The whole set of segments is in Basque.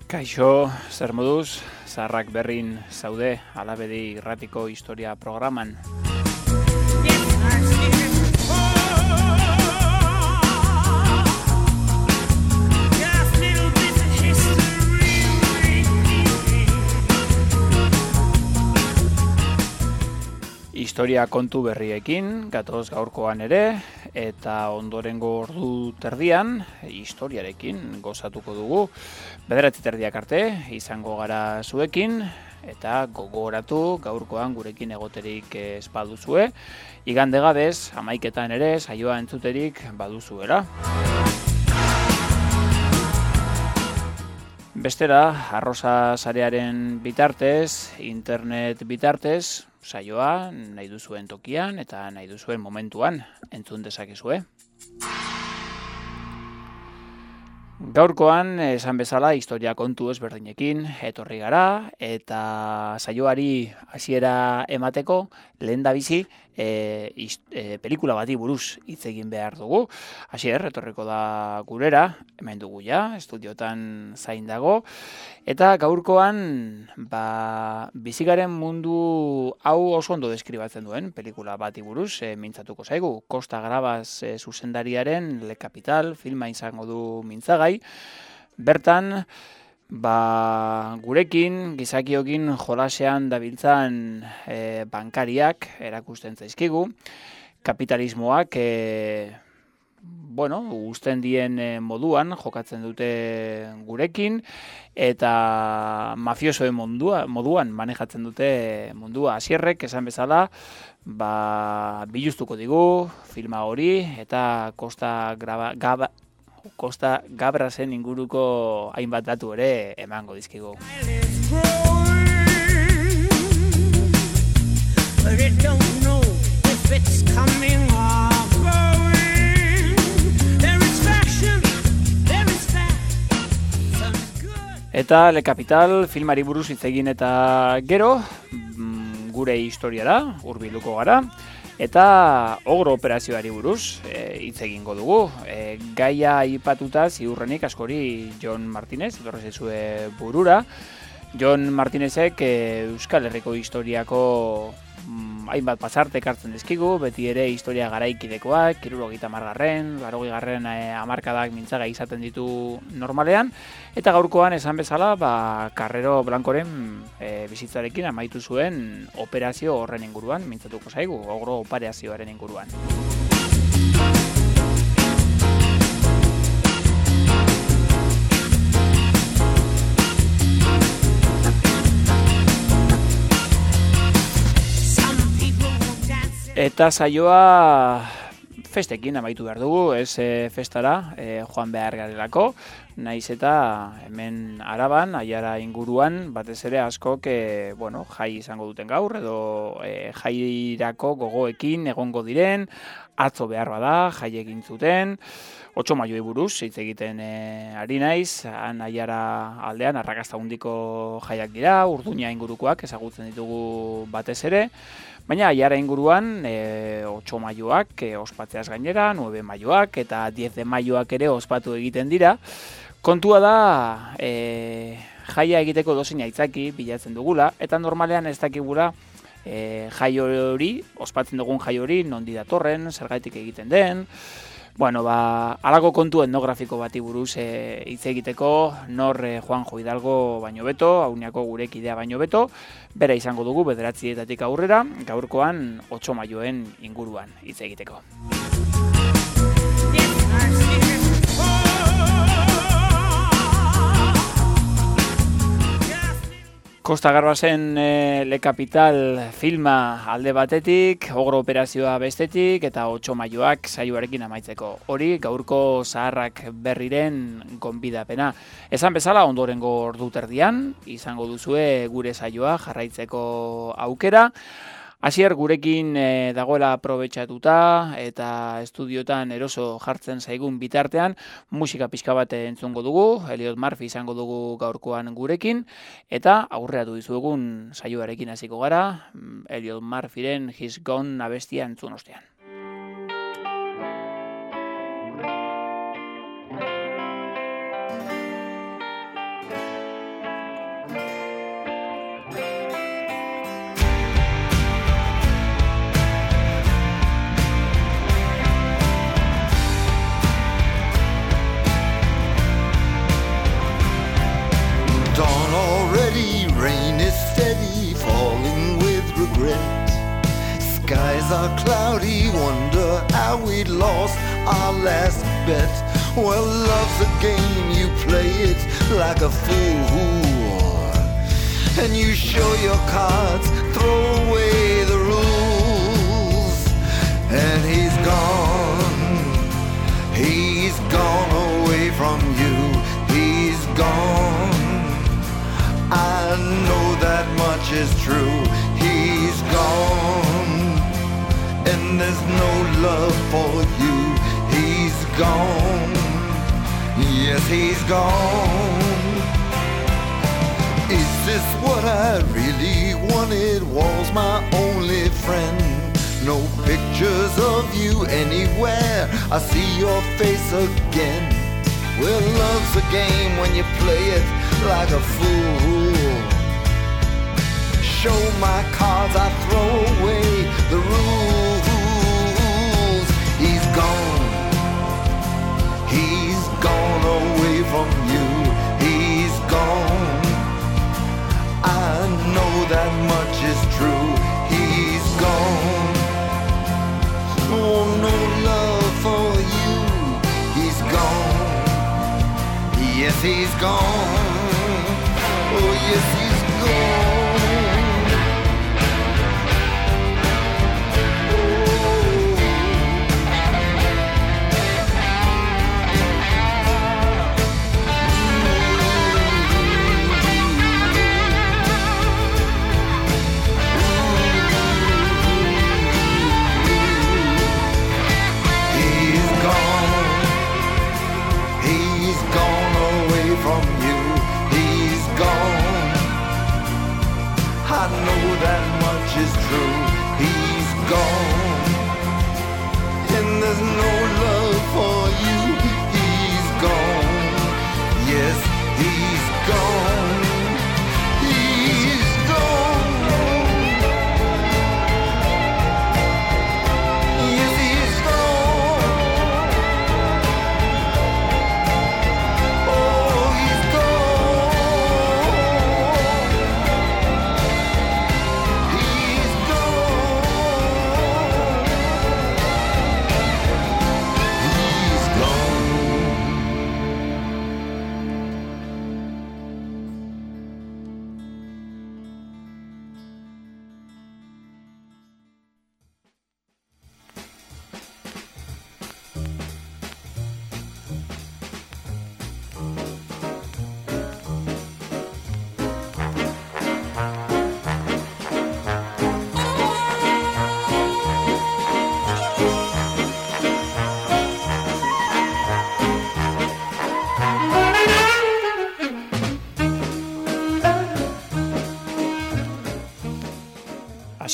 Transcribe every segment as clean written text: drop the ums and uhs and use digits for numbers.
Kaixo, zer moduz, zaharrak berrin zaude Alabedi Irratiko Historia programan. Historia kontu berriekin, gatoz gaurkoan ere, eta ondorengo ordu terdian, historiarekin gozatuko dugu. 9:30 arte, izango gara zuekin, eta gogoratu gaurkoan gurekin egoterik ez baduzue. Igande gabez, 11:00 ere, saioa entzuterik baduzuela. Bestera, Arrosa sarearen bitartez, internet bitartez, saioa nahi duzuen tokian eta nahi duzuen momentuan entzun dezakezue. Gaurkoan, esan bezala, historia kontu ezberdinekin etorri gara, eta saioari hasiera emateko lehendabizi pelikula bati buruz hitz egin behar dugu. Hasier, etorriko da gurera, hemen dugu ja, estudiotan zain dago, eta gaurkoan bizigaren mundu hau oso ondo deskribatzen duen pelikula bati buruz mintzatuko zaigu. Costa Gravas zuzendariaren Le Capital filma izango du mintzagai. Bertan, gurekin, gizakiokin jolasean dabiltzan bankariak erakusten zaizkigu. Kapitalismoak uzten dien moduan jokatzen dute gurekin, eta mafiosoen moduan manejatzen dute mundua. Hasierrek esan bezala, biluztuko digu filma hori, eta Costa Gabrasen inguruko hainbat datu ere emango dizkigu. Eta Le Capital filmari buruz hitz egin eta gero, gure historiara hurbilduko gara. Eta ogro operazioari buruz hitz egingo dugu. Gaia aipatuta ziurrenik askori Jon Martinez, etorrezizue burura. Jon Martinezek Euskal Herriko historiako hainbat pasarte ekartzen dizkigu, beti ere historia garaikidekoak, 70garren, 80garren hamarkadak mintzaga izaten ditu normalean, eta gaurkoan esan bezala, Carrero Blancoren bizitzarekin amaitu zuen operazio horren inguruan, mintzatuko zaigu, ogro operazioaren inguruan. Eta saioa festekin amaitu behar dugu, ez festara joan behar garelako, naiz eta hemen Araban, Aiara inguruan, batez ere askok jai izango duten gaur, edo jairako gogoekin egongo diren, atzo behar bada, jai egin zuten, 8 maioi buruz, hitz egiten ari naiz, han Aiara aldean, arrakasta handiko jaiak dira, Urduña ingurukoak ezagutzen ditugu batez ere, baina Aiara inguruan 8 maioak ospatzeaz gainera, 9 maioak eta 10 maioak ere ospatu egiten dira. Kontua da jaia egiteko dozein aitzaki bilatzen dugula, eta normalean ez dakigula jai hori, ospatzen dugun jai hori, nondi datorren, zergatik egiten den. Halako kontu etnografiko bati buruz hitz egiteko, nor Juanjo Hidalgo baino beto, Auniako gure kidea baino beto, bera izango dugu 9 aurrera, gaurkoan 8 maioen inguruan hitz egiteko. Kosta Garbasen Le Capital filma alde batetik, Ogro operazioa bestetik eta 8 maioak saioarekin amaitzeko. Hori gaurko zaharrak berriren gonbidapena. Esan bezala ondorengo ordu terdian, izango duzue gure saioa jarraitzeko aukera. Hasier gurekin dagoela aprobetxatuta eta estudiotan eroso jartzen zaigun bitartean musika pixka bat entzungo dugu, Elliot Murphy izango dugu gaurkoan gurekin, eta aurreatu dizuegun saioarekin hasiko gara, Elliot Murphyren He's Gone abestia entzun ostean. Skies are cloudy, wonder how we lost our last bet. Well, love's a game, you play it like a fool, and you show your cards, throw away the rules. And he's gone away from you, he's gone. I know that much is true, he's gone. And there's no love for you, he's gone. Yes, he's gone. Is this what I really wanted? Was my only friend? No pictures of you anywhere, I see your face again. Well, love's a game when you play it like a fool. Show my cards, I throw away the rules. He's gone away from you, he's gone. I know that much is true, he's gone. Oh, no love for you, he's gone. Yes, he's gone. Oh, yes, he's gone. From you, he's gone. I know that much is true, he's gone. And there's no love for you, he's gone. Yes, he's gone. He's gone. Yes, he's gone. Oh, he's gone. He's gone.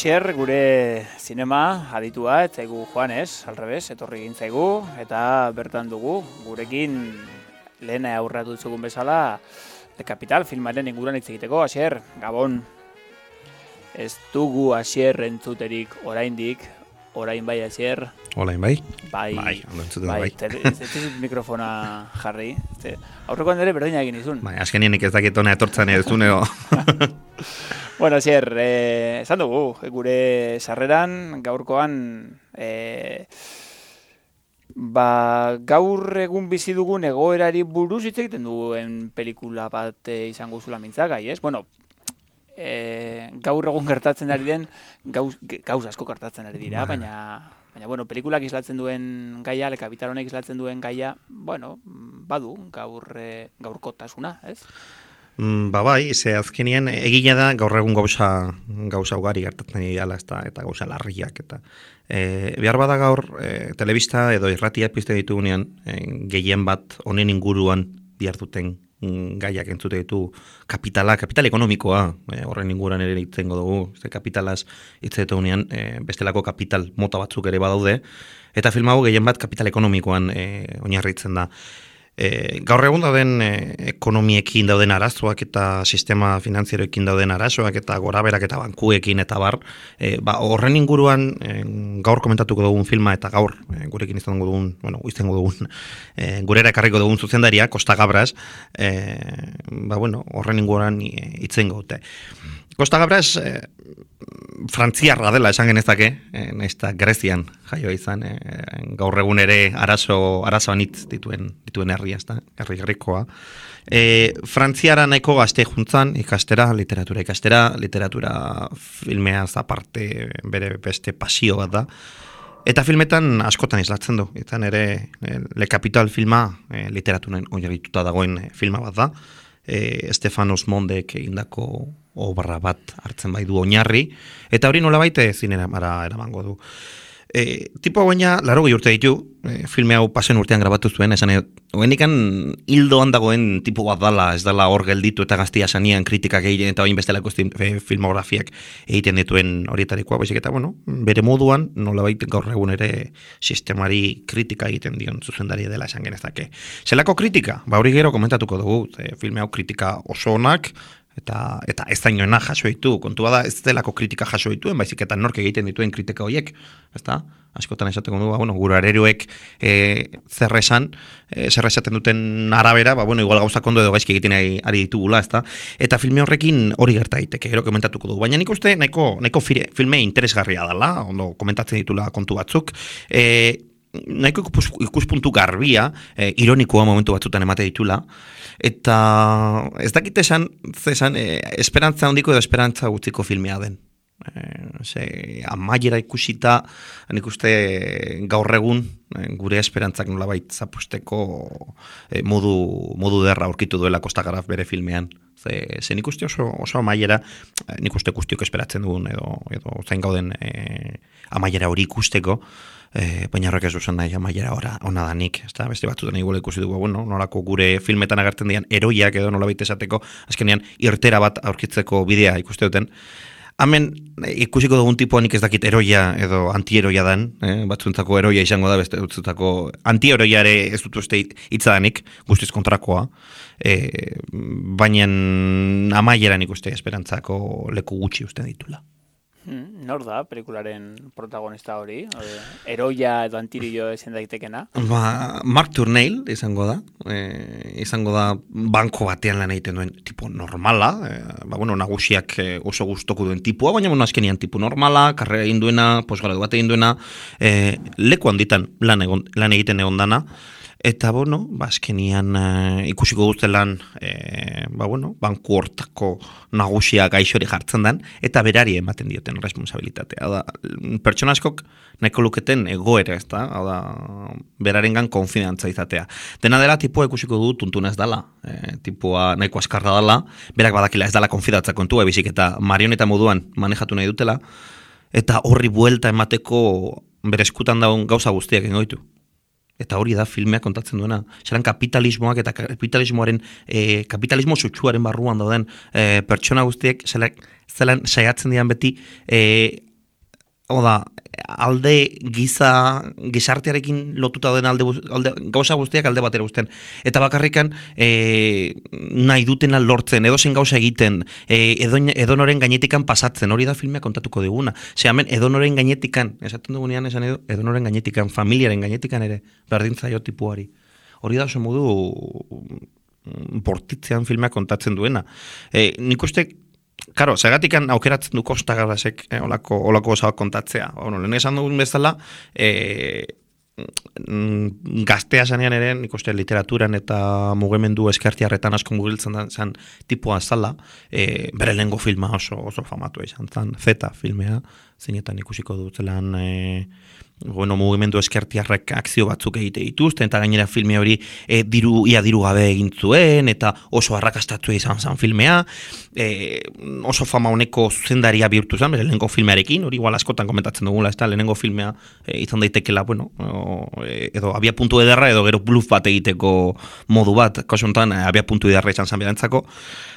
Asier, gure zinema aditua, ez zaigu joan ez, alrebez, etorri egin zaigu, eta bertan dugu, gurekin lehen aurratu zugun bezala, The Capital filmaren inguruan hitz egiteko. Asier, Gabon, ez dugu Asier entzuterik oraindik, orain bai Asier. Orain bai? Bai, bai. Ez dizut mikrofona jarri, aurrekoan ere berdina egin izun. Bai, azkenienik ez dakit hona etortzen ez duneo. Bueno, Asier, esan dugu, gure sarreran, gaurkoan, gaur egun bizi dugun egoerari buruz hitz egiten duen pelikula bat izango zula mintzagai, ez? Bueno, gaur egun gertatzen ari den, gauz asko gertatzen ari dira, baina bueno, pelikulak islatzen duen gaia, Le Capital honek islatzen duen gaia, bueno, badu gaurkotasuna, ez? Bai, ze azkenien egila da gaur egun gauza ugari gertatzen dira eta gauza larriak eta behar bada gaur telebista edo irratiak pizte ditugunean gehien bat honen inguruan diharduten gaiak entzute ditu kapital ekonomikoa, horren inguruan ere itzengo dugu, ze kapitalaz itzetugunean bestelako kapital mota batzuk ere badaude, eta film hau gehien bat kapital ekonomikoan oinarritzen da. Gaur egun dauden ekonomiekin dauden arazoak eta sistema finanzieroekin dauden arazoak eta goraberak eta bankuekin eta horren inguruan gaur komentatuko dugun filma eta gaur gurekin izango dugun gurera ekarriko dugun zuzendaria Costa Gabras horren inguruan itzengo dute. Costa Gabras frantziarra dela esan genezake, nahizta Grezian jaio izan, gaur egun ere arazoan hitz dituen herria, herri gerrikoa. Frantziara nahiko gazte juntzan, literatura filmeaz aparte bere beste pasio bat da. Eta filmetan askotan islatzen du, eta ere Le Capital filma literaturen oinarrituta dagoen filma bat da. Stefanos Mondek egindako obra bat hartzen bai du oinarri, eta hori nolabait zinera eramango du. Tipo baina 80 urte ditu, filme hau pasen urtean grabatu zuen, esan hoenikan hildoan dagoen tipo bat dala, ez dala hor gelditu eta gaztia sanian kritikak egiten eta bain bestelako filmografiak egiten dituen horietarikoa, baizik eta bere moduan nolabait gaur egun ere sistemari kritika egiten dion zuzendari dela esan genezake. Zelako kritika? Hori gero komentatuko dugu, filme hau kritika oso onak, eta ez dainoena jaso ditu, kontua da ez delako kritika jaso dituen, baizik eta nork egiten dituen kritika horiek, ezta? Askotan esateko du, gure areruek zer esaten duten arabera, igual gauzak ondo edo gaizki egiten ari ditugula, ezta? Eta filme horrekin hori gerta daiteke, gero komentatuko du. Baina nik uste nahiko filme interesgarria dela, ondo komentatzen ditula kontu batzuk, nahiko ikuspuntu garbia, ironikoa momentu batzutan emate ditula, eta ez dakit esan esperantza handiko edo esperantza gutxiko filmea den. Amaiera ikusita, nik uste gaur egun gure esperantzak nolabait zapusteko modu derra aurkitu duela Costa Gabras bere filmean. Ze nik uste oso amaiera, nik uste guztiok esperatzen dugun edo zain gauden amaiera hori ikusteko, baina horrek ez duzen nahi amaiera ona danik, beste batzutan igual ikusi dugu, nolako gure filmetan agertzen dian eroiak edo nolabait esateko, azkenean irtera bat aurkitzeko bidea ikuste duten. Hemen ikusiko dugun tipoa nik ez dakit eroia edo antieroia dan, batzuntzako eroia izango da, beste batzuntzako antieroia ere ez dut uste hitzadanik, guztiz kontrakoa, baina amaieran ikuste esperantzako leku gutxi uste ditula. Nor da pelikularen protagonista hori? Eroia edo antirio ezen daitekena? Mark Turneil izango da banko batean lan egiten duen tipo normala, nagusiak oso gustoko duen tipua, baina azkenian tipo normala, karrera egin duena, posgradu bat egin duena, leku handitan lan egiten egon dana, eta azkenian ikusiko duztelan banku hortako nagusia gaixori jartzen den, eta berari ematen dioten responsabilitatea. Pertsona askok nahiko luketen egoera, ez da, berarengan konfidantza izatea. Dena dela tipua ikusiko du tuntuna ez dala, tipua nahiko askarra dala, berak badakila ez dala konfidantza kontua, ebizik eta marioneta moduan manejatu nahi dutela, eta horri buelta emateko bere eskutan daun gauza guztiak ingoitu. Eta hori da filmeak kontatzen duena. Zeran kapitalismoak eta kapitalismo sutsuaren barruan dauden pertsona guztiek zelan saiatzen dian beti Oda, alde gizartearekin lotuta den alde gauza guztiak alde batera uzten. Eta bakarrikan nahi dutena lortzen, edozein gauza egiten, edonoren gainetikan pasatzen, hori da filmea kontatuko diguna. Hemen edonoren gainetikan, esaten dugunean esan edonoren gainetikan, familiaren gainetikan ere, berdintzaio tipuari. Hori da oso modu bortitzean filmea kontatzen duena. Nik uste, karo, zergatikan aukeratzen du Kosta Gabrasek olako gozak kontatzea. Lehen esan dugun bezala, gaztea zanean ere, nik uste literaturan eta mugimendu eskertiarretan asko mugiltzen zen tipua zala, bere lehengo filma oso famatu izan zen, Zeta filmea, zeinetan ikusiko dutzelan mugimendu eskertiarrek akzio batzuk egite dituzten, eta gainera filme hori diru gabe egin zuen, eta oso arrakastatua izan zen filmea, oso fama honeko zuzendaria bihurtu zen, bere lehengo filmearekin, hori igual askotan komentatzen dugula, ez da, lehenengo filmea izan daitekela, edo abia puntu ederra, edo gero bluff bat egiteko modu bat, kasu honetan abia puntu ederra izan zen berantzako,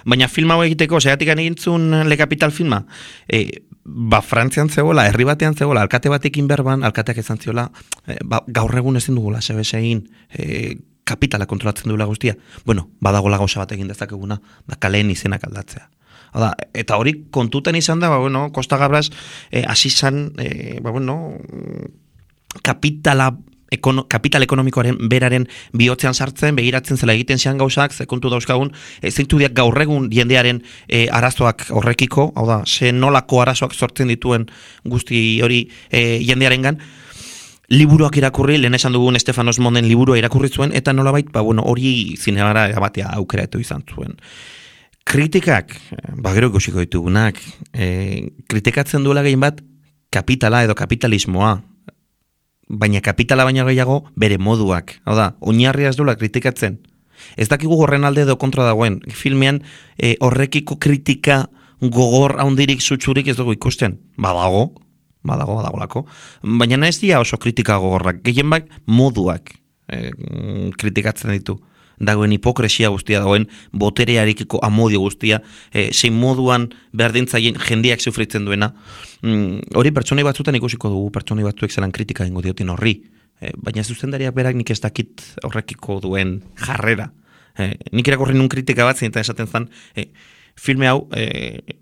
baina filma hau egiteko, segatik egintzun Le Capital filma, Frantzian zegoela, herri batean zegoela, alkate batekin berban, alkateak izan ziola, gaur egun ezin dugula, sebes-egin, kapitala kontrolatzen duela guztia. Bueno, badagola gauza bat egin dezakeguna, da kaleen izenak aldatzea. Eta hori kontutan izan da, Kosta Gabras hasi zan, kapital ekonomikoaren beraren bihotzean sartzen, begiratzen zela egiten zean gauzak, zekontu dauzkagun, zeintu diak gaur egun jendearen arazoak horrekiko, hau da, ze nolako arazoak sortzen dituen guzti hori jendearengan, liburuak irakurri, lehen esan dugun Estefanos Monden liburua irakurri zuen, eta nolabait, hori zinegara batea aukera eto izan zuen. Kritikak, gero ikusiko ditugunak, kritikatzen duela gehien bat, kapitala edo kapitalismoa, baina kapitala baina gehiago bere moduak. Hau da, oinarria ez duela kritikatzen. Ez dakigu horren alde edo kontra dagoen. Filmean horrekiko kritika gogor haundirik zutsurik ez dugu ikusten. Badagolako. Baina ez dira oso kritika gogorrak. Gehien bak moduak kritikatzen ditu. Dagoen hipokresia guztia, dagoen boterearekiko amodio guztia, zein moduan berdintzaien jendeak sufritzen duena. Hori pertsonei batzutan ikusiko dugu, pertsonei batzuek zelan kritika ingo diotin horri. Baina zuzendariak berak nik ez dakit horrekiko duen jarrera. Nik irakurri nun kritika bat zein eta esaten zen, filme hau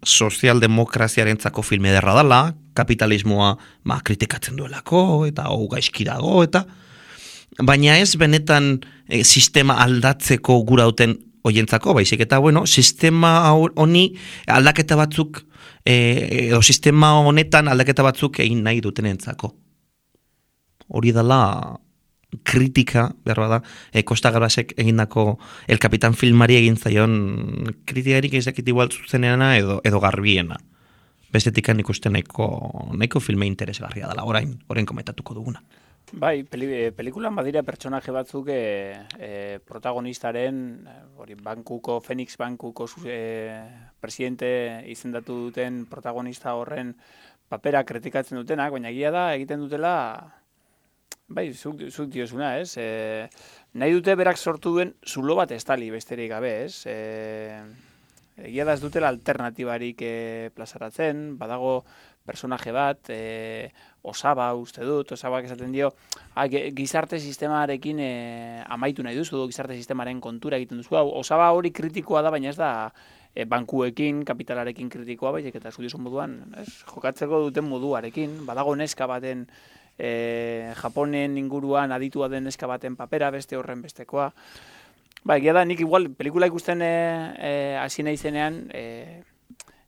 sozialdemokraziarentzako filme ederra dela, kapitalismoa kritikatzen duelako, eta hau gaizki dago, eta baina ez benetan sistema aldatzeko gura duten oientzako, baizik eta sistema honi aldaketa batzuk edo sistema honetan aldaketa batzuk egin nahi dutenentzako. Hori dela kritika, behar bada, Kosta Gabrasek egindako El Capitan filmari egin zaion kritikarik ezakit igual zuzenena edo garbiena. Bestetikan ikusten nahiko filme interesgarria dela, orain komentatuko duguna. Bai, pelikulan badira pertsonaje batzuk protagonistaren, Phoenix Bankuko presidente izendatu duten protagonista horren papera kritikatzen dutenak, baina egia da egiten dutela, bai, zuk diozuna, ez? Nahi dute berak sortu duen zulo bat estali besterik gabe, ez? Egia da ez dutela alternatibarik plazaratzen, badago personaje bat, Osaba uste dut, Osabak esaten dio, gizarte sistemarekin amaitu nahi duzu, gizarte sistemaren kontura egiten duzu. Osaba hori kritikoa da, baina ez da bankuekin, kapitalarekin kritikoa, baizik eta zudizun moduan, jokatzeko duten moduarekin, badago neska baten, Japonen inguruan aditua den neska baten papera, beste horren bestekoa. Egia da, nik igual, pelikula ikusten hasi nahi zenean,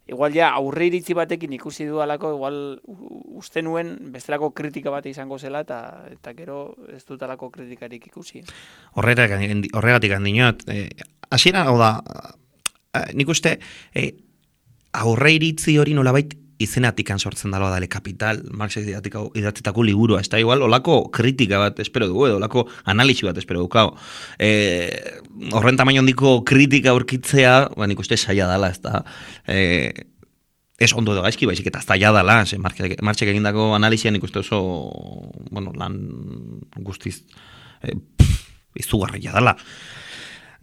igual ja aurre iritzi batekin ikusi dudalako, igual uste nuen bestelako kritika bat izango zela, eta gero ez dutalako kritikarik ikusi. Horregatik handinot, hasiera, hau da, nik uste aurre iritzi hori nolabait izenatikan sortzen daloa da Le Capital, Marx idatzitako liburua, ez da igual, olako kritika bat espero dugu, edo olako analisi bat espero dugu. Horren tamaino handiko kritika aurkitzea, nik uste saia dala, ez da, ez ondo edo gaizki, baizik eta zaila dala, Marxek egindako analizian nik uste oso, lan guztiz izugarria dala.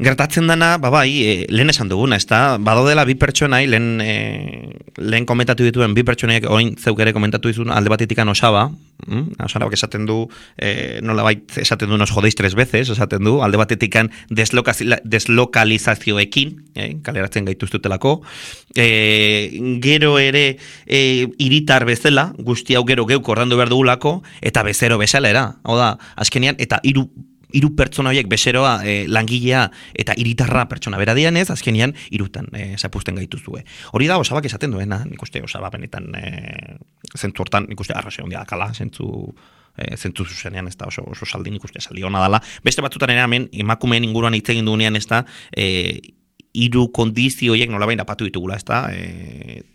Gertatzen dana, lehen esan duguna, ezta? Badodela bi pertsonai, lehen komentatu dituen bi pertsonaiak, orain zeuk ere komentatu dizun alde batetikan Osaba, Osabak esaten du, nolabait esaten du nos jodéis 3 veces, esaten du, alde batetikan deslokalizazioekin, kaleratzen gaituztutelako, gero ere hiritar bezala, guzti hau gero geuk ordandu behar dugulako, eta bezero bezala era, hau da, azkenean, eta hiru pertsona horiek bezeroa, langilea eta hiritarra pertsona bera dianez, azkenean hirutan zapusten gaituzue. Hori da Osabak esaten duena, nik uste Osaba benetan zentzu hortan, nik uste arrazio ondia dakala, zentzu zuzenean ez da oso saldi, nik uste saldi hona dela. Beste batzutan ere hemen, emakumeen inguruan hitz egin dugunean ez da, hiru kondizio horiek nolabain apatu ditugula, ez da,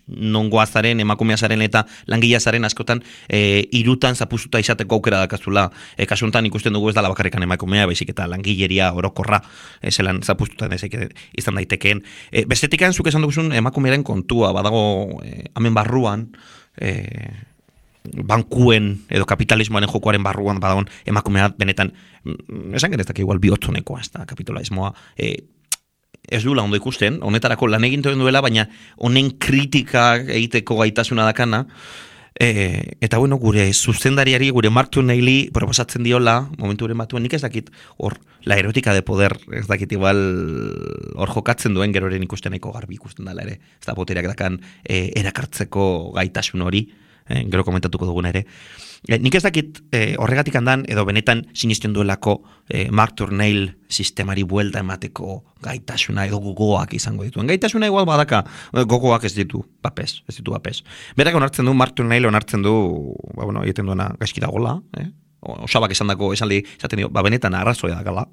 nongoazaren, emakumeazaren eta langileazaren askotan hirutan zapuzuta izateko aukera dakazula. Kasuntan ikusten dugu ez dala bakarrikan emakumea, baizik eta langileria orokorra zelan zapuzuta izan daitekeen. Bestetikan zuk esan duguzun emakumearen kontua, badago hemen barruan, bankuen edo kapitalismoaren jokoaren barruan badagon emakumea benetan, esan genezak igual bihotzonekoa, ez da, kapitalismoa, ez duela ondo ikusten, honetarako lan egin duela, baina honen kritika egiteko gaitasuna dakana, eta bueno, gure zuzendariari, gure Mark Turnelli proposatzen diola, momenturen batuen, nik ez dakit, hor, la erotika de poder, ez dakit igual, hor jokatzen duen geroren ikusteneko garbi ikusten dela ere, ez da botereak dakan erakartzeko gaitasun hori, gero komentatuko dugun ere. Nik ez dakit horregatik handan, edo benetan sinisten duelako Mark Turnell sistemari buelta emateko gaitasuna edo gogoak izango dituen. Gaitasuna igual badaka, gogoak ez ditu bapes. Berak onartzen du, Mark Turnell onartzen du, egiten duena gaizki dagola, Osabak esan dako esaldi, esaten dio, benetan arrazoia dakala.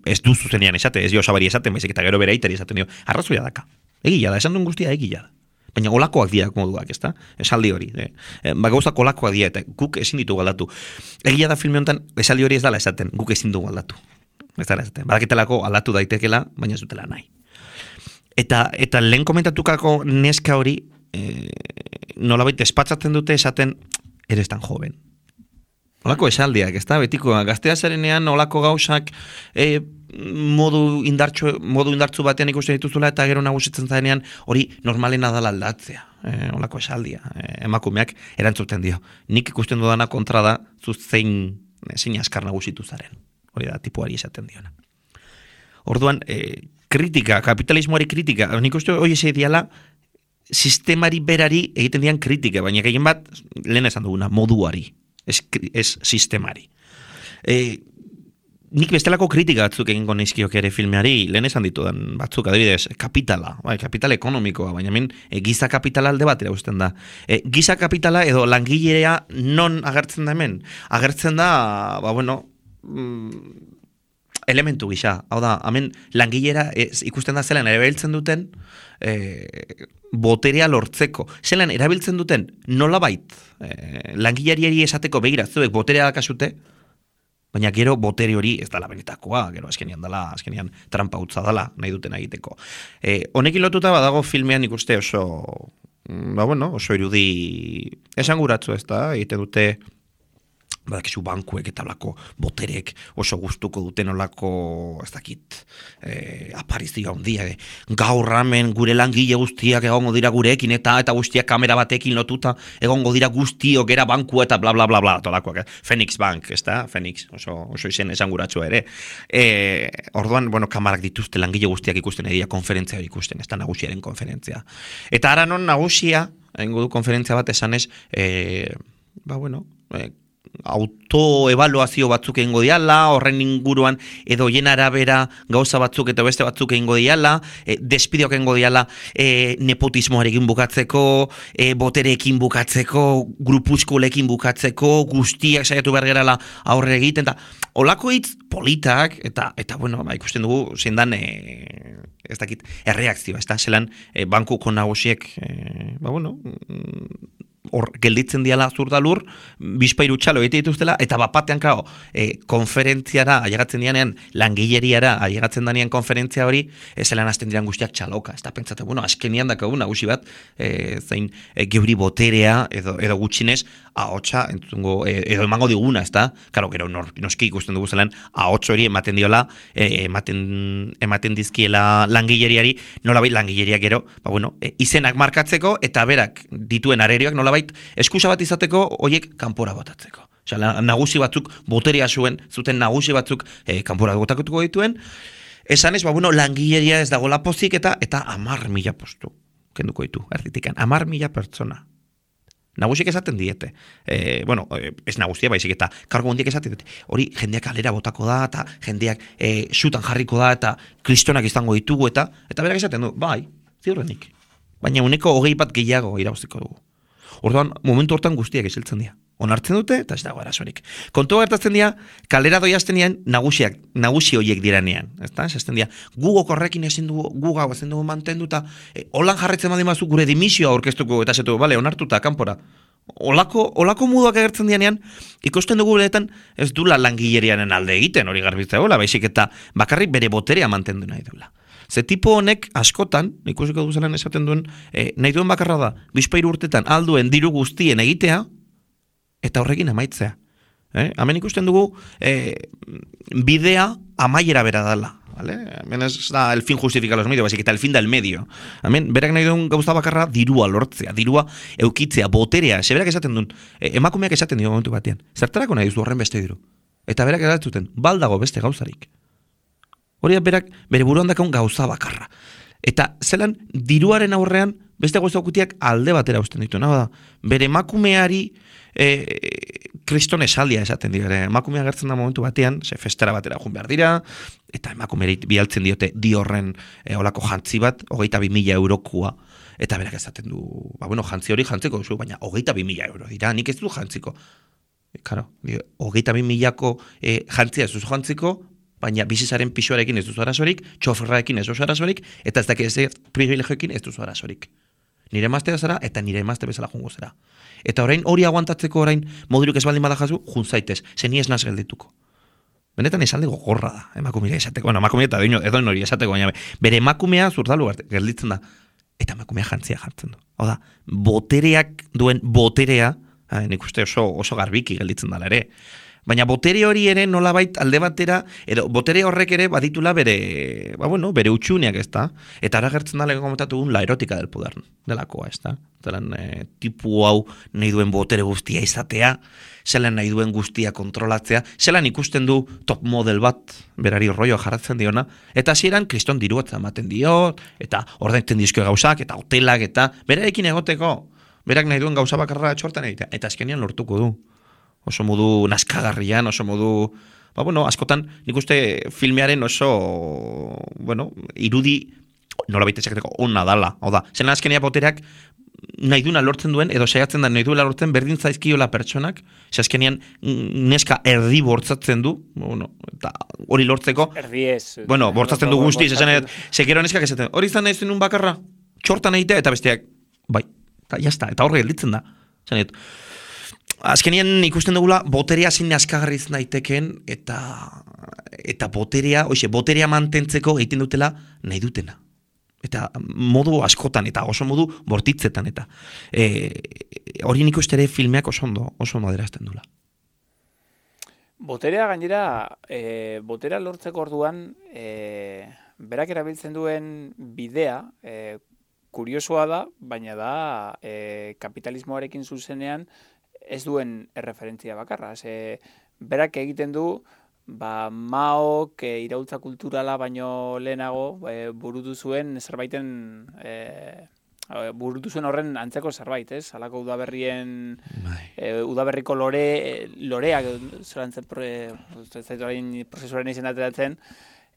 Ez du zuzenean esate, ez dio Osabari esaten, baizik eta gero bere aitari esaten dio, arrazoia daka. Egia da, esan duen guztia egia da. Baina olakoak dira moduak, ezta? Esaldi hori. Gauzak olakoak dira, eta guk ezin ditugu aldatu. Egia da filme honetan, esaldi hori ez dala esaten, guk ezin dugu aldatu. Ez dala esaten. Badaketelako aldatu daitekela, baina ez dutela nahi. Eta lehen komentatukako neska hori, nolabait espatzatzen dute esaten, eres tan joven. Olako esaldiak, ezta? Betiko, gaztea zarenean olako gauzak modu indartzu batean ikusten dituzula eta gero nagusitzen zarenean hori normalena dala aldatzea. Olako esaldia. Emakumeak erantzuten dio. Nik ikusten dudana kontra da zu zein askar nagusitu zaren. Hori da, tipuari esaten diona. Orduan, kritika, kapitalismoari kritika, nik uste hori eze diala sistemari berari egiten dian kritika, baina gehien bat, lehen esan duguna, moduari. Ez sistemari. Nik bestelako kritika batzuk egingo nizkiok ere filmeari, lehen esan ditudan batzuk, adibidez, kapitala, kapital ekonomikoa, baina hemen giza kapitala alde batera usten da. Giza kapitala edo langilea non agertzen da hemen? Agertzen da, elementu gisa. Hau da, hemen langilera ikusten da zelan erabiltzen duten boterea lortzeko. Zelan erabiltzen duten nolabait langilariari esateko begira zuek boterea dakasute, baina gero botere hori ez dala benetakoa, gero azkenian trampa utza dala nahi duten egiteko. Honekin lotuta badago filmean ikuste oso irudi esanguratzu ez da, egiten dute badakizu bankuek eta olako boterek oso gustuko duten olako, ez dakit, aparizio handia. Gaur ramen gure langile guztiak egongo dira gurekin eta guztiak kamera batekin lotuta egongo dira guztiok era banku eta bla bla bla bla, tolakoak. Phoenix Bank, ez da? Phoenix, oso izen esanguratsua ere. Orduan, kamarak dituzte langile guztiak ikusten egia konferentzia hori ikusten, ez da nagusiaren konferentzia. Eta ara non nagusia, egingo du konferentzia bat esanez, autoevaluazio batzuk egingo diala, horren inguruan edo jen arabera gauza batzuk eta beste batzuk egingo diala, despideok egingo diala nepotismoarekin bukatzeko, botereekin bukatzeko, grupuzkolekin bukatzeko, guztiak saiatu behar gerala aurre egiten, eta olako hitz politak, eta ikusten dugu zendan ez dakit, erreakzioa, ez da, zelan bankuko nagusiek, hor gelditzen diala zurdalur, bizpairu txalo egite dituztela, eta bapatean, claro, konferentziara, ailegatzen dianean, langileriara, ailegatzen danean konferentzia hori, zelan hasten diran guztiak txaloka. Ez da pentsate, bueno, azkenian dakagu nagusi bat, zein geuri boterea, edo gutxinez, ahotsa, entzungo, edo emango diguna, ez da? Karo, gero noski ikusten dugu zelan, ahotsa hori ematen diola, ematen dizkiela langileriari, nolabait langileriak gero, izenak markatzeko, eta berak dituen arerioak nolabait eskusa bat izateko hoiek kanpora botatzeko. Osea, nagusi batzuk boterea zuten nagusi batzuk kanpora botatuko dituen, esan ez, langileria ez dago lapozik eta 10.000 postu kenduko ditu, erditikan, 10.000 pertsona. Nagusik esaten diete. Ez nagusia baizik eta kargo hondiek esaten diete. Hori jendeak kalera botako da, eta jendeak xutan jarriko da, eta kristonak izango ditugu, eta berak esaten du, bai, ziurrenik. Baina uneko 20 bat gehiago irabaztiko dugu. Orduan, momentu hortan guztiak isiltzen dira. Onartzen dute, eta ez dago arazorik. Kontua gertatzen dira, kalera doiazten dian, nagusi horiek diranean. Esaten dira, gugok horrekin ezin dugu, gugau ezin dugu mantendu, eta holan jarretzen badimazu gure dimisioa aurkeztuko, eta zetu, bale, onartuta, kanpora. Olako muduak agertzen dianean, ikusten dugu beretan, ez dula langilerianen alde egiten, hori garbitzea gola, baizik eta bakarrik bere boterea mantendu nahi duela. Ze tipo honek askotan, ikusiko duzelan esaten duen, nahi duen bakarra da, bizpairu urtetan alduen diru guztien egitea, eta horrekin amaitzea. Hemen ikusten dugu, bidea amaiera bera dela. ¿Vale? Hemen ez da el fin justifica los medios, baizik eta el fin del medio. Hemen, berak nahi duen gauza bakarra dirua lortzea, dirua eukitzea, boterea, berak esaten duen, emakumeak esaten dio momentu batean, zertarako nahi duzu horren beste diru. Eta berak esaten, baldago beste gauzarik. Hori berak bere buruan dakaun gauza bakarra. Eta zelan diruaren aurrean beste gauza okutiak alde batera usten ditu. Da, bere emakumeari kriston esaldia esaten dira. Emakumea gertzen da momentu batean, festera batera jun behar dira, eta emakumeari bialtzen diote horren olako jantzi bat, 22.000 eurokua. Eta berak esaten du, jantzi hori jantziko duzu, baina 22.000 euro dira, nik ez du jantziko. Claro, 22.000ko jantzia ez duzu jantziko, baina bizizaren pixuarekin ez duzu arazorik, txoferrarekin ez duzu arazorik, eta ez dakit ez privilegioekin ez duzu arazorik. Nire emaztea zara, eta nire emazte bezala jungo zera. Eta orain hori aguantatzeko orain moduruk ez baldin badajazu, jun zaitez, zeni ez naz geldituko. Benetan esalde gogorra da, emakumea esateko. Emakumea eta edoin hori esateko, baina bere emakumea zurdalu gelditzen da, eta emakumea jantzia jartzen du. Oda, botereak duen boterea, nik uste oso garbiki gelditzen dala ere, baina botere hori ere nolabait alde batera, edo botere horrek ere baditula bere utxuneak, ez da? Eta ara gertzen da lehen komentatu la erotika del poder delakoa, ez da? Zelan tipu hau nahi duen botere guztia izatea, zelan nahi duen guztia kontrolatzea, zelan ikusten du top model bat, berari rollo jarratzen diona, eta hasieran kriston diruatza ematen dio, eta ordaintzen dizkio gauzak, eta hotelak, eta berarekin egoteko, berak nahi duen gauza bakarra txortan egitea, eta azkenian lortuko du. Oso modu naskagarrian, oso modu... askotan, nik uste filmearen oso, irudi, nola baita esaketeko, onna dala. Oda, zelan azkenia botereak nahi duena lortzen duen, edo saiatzen da nahi duela lortzen berdin zaizkiola pertsonak, ze azkenian neska erdi bortzatzen du, eta hori lortzeko... Erdi ez. Bortzatzen du guztiz, zekero neskak esaten, hori izan nahi zenun bakarra, txortan egitea, eta besteak, bai, eta jazta, eta horre gelditzen da. Azkenien ikusten dugula boterea zein askagarriz daiteken eta boterea mantentzeko egiten dutela nahi dutena. Eta modu askotan eta oso modu bortitzetan eta hori nik uste ere filmeak oso ondo adierazten dula. Boterea gainera, botera lortzeko orduan berak erabiltzen duen bidea kuriosoa da, baina da kapitalismoarekin zuzenean ez duen erreferentzia bakarra. Berak egiten du, Maok iraultza kulturala baino lehenago burutu zuen zerbaiten burutu zuen horren antzeko zerbait, ez? Halako udaberriko loreak prozesuaren izendateratzen,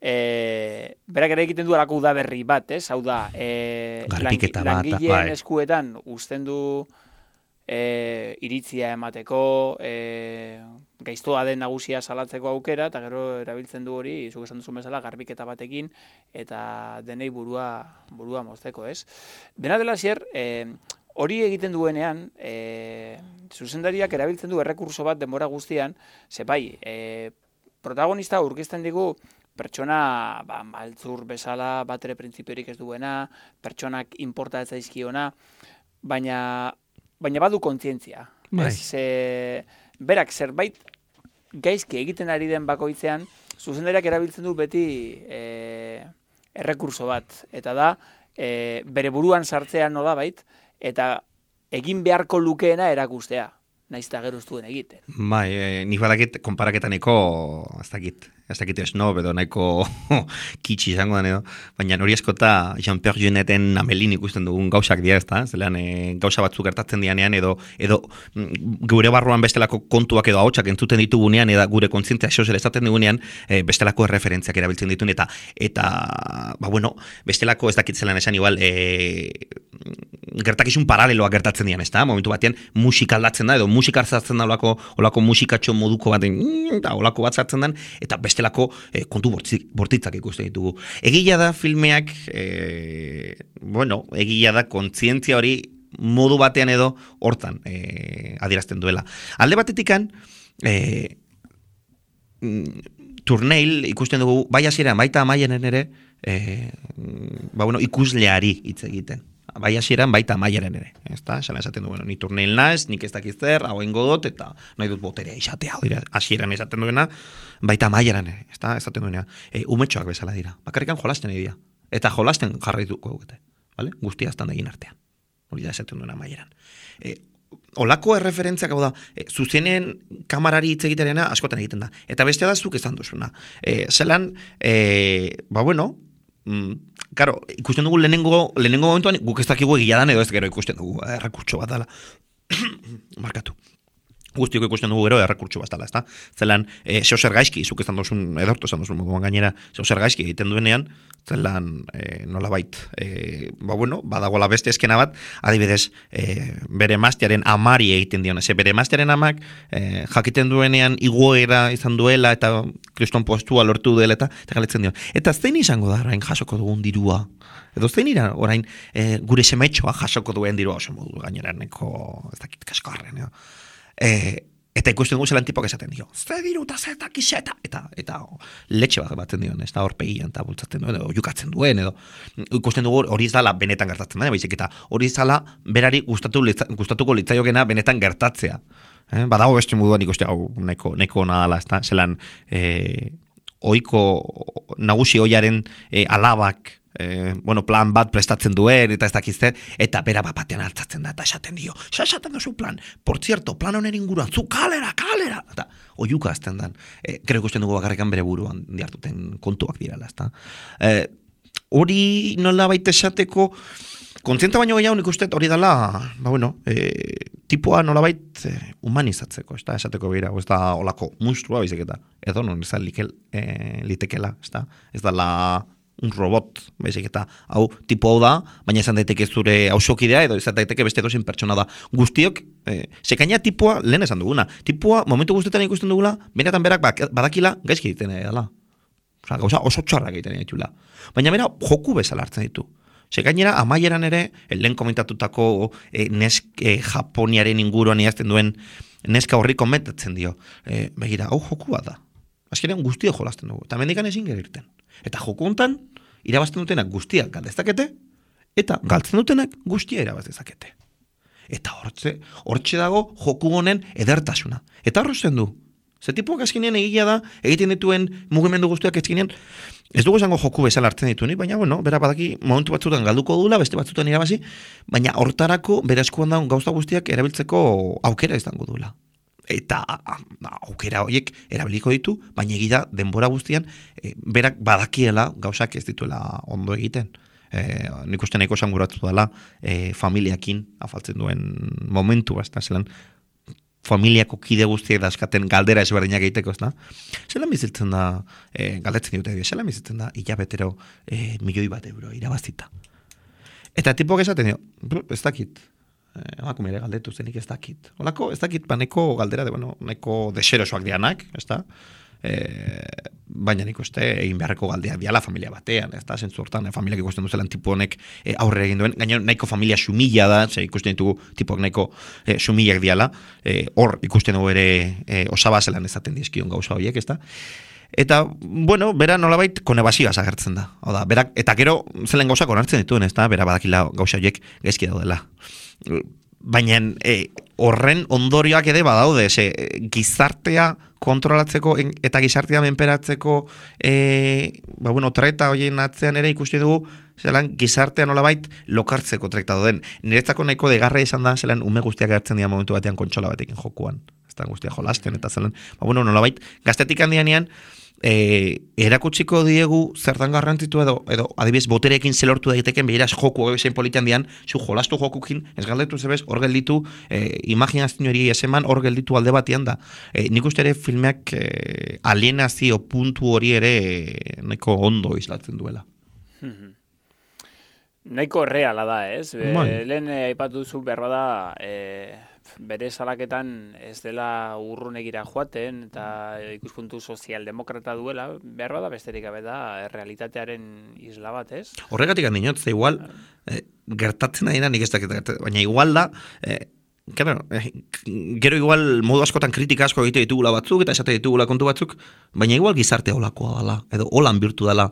berak ere egiten du halako udaberri bat, ez? Hau da, langileen eskuetan uzten du iritzia emateko, gaiztoa den nagusia salatzeko aukera, eta gero erabiltzen du hori, zuk esan duzun bezala, garbiketa batekin, eta denei burua mozteko, ez? Dena dela zier, hori egiten duenean, zuzendariak erabiltzen du errekurso bat denbora guztian, ze bai, protagonista aurkezten digu pertsona maltzur bezala, batere printzipiorik ez duena, pertsonak inporta ez zaizkiona, baina badu kontzientzia. Bai. Berak zerbait gaizki egiten ari den bakoitzean, zuzendariak erabiltzen du beti errekurso bat, eta da, bere buruan sartzea nolabait, eta egin beharko lukeena erakustea, naiz eta gero ez duen egiten. Bai, nik badakit, konparaketa nahiko, ez dakit esnob edo nahiko kitsi izango den edo, baina hori eskota Jean-Pierre Jeuneten Amelin ikusten dugun gauzak dira, ezta? Zelean gauza batzuk gertatzen dianean edo gure barruan bestelako kontuak edo ahotsak entzuten ditugunean eta gure kontzientzia sozel esaten digunean bestelako erreferentziak erabiltzen dituen eta bestelako ez dakit zelan esan igual gertakizun paraleloak gertatzen dian, ezta? Momentu batean musika aldatzen da edo musika hartzen da olako musikatxo moduko baten eta olako bat sartzen den eta bestelako kontu bortitzak ikusten ditugu. Egia da filmeak egia da kontzientzia hori modu batean edo hortan adierazten duela. Alde batetikan Turneil ikusten dugu bai hasieran baita amaiaren ere ikusleari hitz egiten. Bai hasieran baita amaiaren ere. Ezta? Esan esaten du, ni Turneil naiz, nik ez dakiz zer, hau egingo dut eta nahi dut boterea izatea. Hasieran esaten duena baita amaieran ere, ezta? Esaten duena. Umetxoak bezala dira. Bakarrikan jolasten dira. Eta jolasten jarraituko dute, vale? Guztia aztan egin artean. Hori da esaten duena amaieran. Olako erreferentziak hau da, zuzenen kamarari hitz egitearena askotan egiten da. Eta bestea da zuk esan duzuna. Zelan, Karo, ikusten dugu lehenengo momentuan guk ez dakigu egia dan edo ez gero ikusten dugu errekurtso bat dela. Markatu. Guztiok ikusten dugu gero errekurtso bat dela, ezta? Zelan, zeozer gaizki, zuk esan duzun, edortu esan duzun moduan gainera, zeozer gaizki egiten duenean, zelan, nolabait, badagoela beste eskena bat, adibidez, bere emaztearen amari egiten dion, bere emaztearen amak jakiten duenean igoera izan duela eta kriston postua lortu duela eta galetzen dion. Eta zein izango da orain jasoko dugun dirua? Edo zein ira orain gure semetxoa jasoko duen dirua oso modu gainera neko, ez dakit kaskarren, eta ikusten dugu zelan tipok esaten dio. Ze diru eta zeta kiseta. Eta letxe bat batzen dion, ez da horpegian eta bultzatzen duen, edo jukatzen duen, edo ikusten dugu hori izala benetan gertatzen da, baizik eta hori izala berari gustatuko litzaiokena benetan gertatzea. Badago beste moduan ikuste hau nahiko ona dela, ez da, zelan oiko nagusi oiaren alabak plan bat prestatzen duen, eta ez dakizte, eta bera batean altzatzen da, eta esaten dio, esaten duzu plan, por cierto, plan honen inguruan, zu kalera, eta oiuka azten dan, gero ikusten dugu bakarrikan bere buruan diartuten kontuak dirala, ezta. Hori nola baita esateko, kontzienta baino gehiago nik uste hori dela, tipoa nolabait humanizatzeko, ez da, esateko bera, ez da olako monstrua bizik eta, edo non ez da litekela, ez da la un robot, baizik eta hau tipo hau da, baina izan daiteke zure hausokidea edo izan daiteke beste dozen pertsona da. Guztiok, sekaina tipoa, lehen esan duguna, tipoa momentu guztetan ikusten dugula, benetan berak badakila gaizki egiten dela. Gauza oso txarrak egiten ditula. Baina bera joku bezala hartzen ditu. Sekainera amaieran ere, lehen komentatutako Japoniaren inguruan idazten duen neska horri komentatzen dio. Begira, hau joku bat da. Azkenean guztia jolasten dugu. Eta mendikan ezin gerirten. Eta joku hontan irabazten dutenak guztiak galdezakete, eta galtzen dutenak guztia irabaztezakete. Eta hortxe dago joku honen edertasuna. Eta horrezen du. Ze tipuak azkenean egia da, egiten dituen mugimendu guztiak azkenean, ez dugu esango joku bezala hartzen ditunik, baina bera badaki momentu batzutan galduko dula, beste batzutan irabazi, baina hortarako bera eskuan daun gauza guztiak erabiltzeko aukera izango dula. Eta aukera horiek erabiliko ditu, baina egida denbora guztian berak badakiela gauzak ez dituela ondo egiten. Nik uste nahiko esanguratu dela familiakin afaltzen duen momentu, zelan familiako kide guztiek daskaten galdera ezberdinak egiteko, ez da? Zelan bizitzen da, galdetzen dute, zelan bizitzen da hilabetero €1.000.000 irabazita. Eta tipok esaten dio, ez dakit. Emakume ere galdetu zenik ez dakit. Olako, ez dakit, neko galdera, neko deserosoak dianak, ez da? baina nik uste egin beharreko galdea diala familia batean, ez da, zentzu hortan, familiak ikusten duzelan tipu honek aurre egin duen, gaina nahiko familia sumila da, ikusten ditugu tipuak nahiko sumilak diala, hor ikusten dugu ere osaba zelan ezaten dizkion gauza horiek, ez da? Eta, bueno, bera nolabait konebazioaz agertzen da. Oda, berak, eta gero zelen gauzak onartzen dituen, ez da? Bera badakila gauza horiek gaizki daudela. Baina horren ondorioak ere badaude, gizartea kontrolatzeko eta gizartea menperatzeko treta horien atzean ere ikusten dugu zelan gizartea nolabait lokartzeko trekta doden. Niretzako nahiko degarra izan da zelan ume guztiak gertzen dira momentu batean kontsola batekin jokuan. Ez da guztia jolasten eta zelan. Nolabait gaztetik handianean erakutsiko diegu zertan garrantzitu edo adibidez boterekin zelortu daiteken behiraz joku ebezen politian dian, zu jolastu jokukin ez galdetu zebez, hor gelditu imaginazio hori eseman hor gelditu alde batian da. Nik uste ere filmeak alienazio puntu hori ere nahiko ondo islatzen duela. Nahiko reala da, ez? Lehen aipatu duzu behar bada bere salaketan ez dela urrunegira joaten eta ikuspuntu sozialdemokrata duela, behar bada besterik gabe da realitatearen isla bat, ez? Horregatik handinot, ze igual gertatzen adina nik ez dakit, baina igual da gero igual modu askotan kritika asko egite ditugula batzuk eta esate ditugula kontu batzuk, baina igual gizartea olakoa dela, edo holan birtu dela,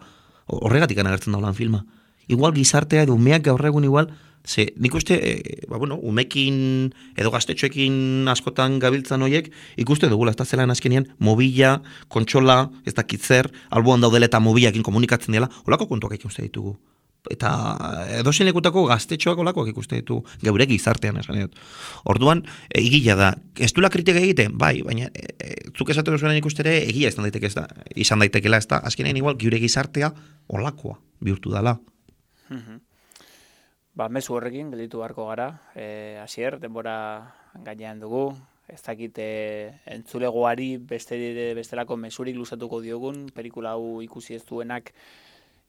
horregatik agertzen da holan filma. Igual gizartea edo umeak gaur egun igual, ze nik uste, umekin edo gaztetxoekin askotan gabiltzan horiek, ikuste dugula, ez da zelan azkenean, mobila, kontsola, ez dakitzer, alboan daudela eta mobilakin komunikatzen dela, holako kontuak ikuste ditugu. Eta edozein lekutako gaztetxoak olakoak ikuste ditu geure gizartean esan dut. Orduan, egia da, ez duela kritika egiten, bai, baina zuk esaten duzuen ikustere egia izan daitekela, ez da, azkenean igual geure gizartea olakoa bihurtu dela. Mezu horrekin gelditu beharko gara, hasier, denbora gainean dugu, ez dakit entzulegoari bestelako mezurik luzatuko diogun, pelikula hau ikusi ez duenak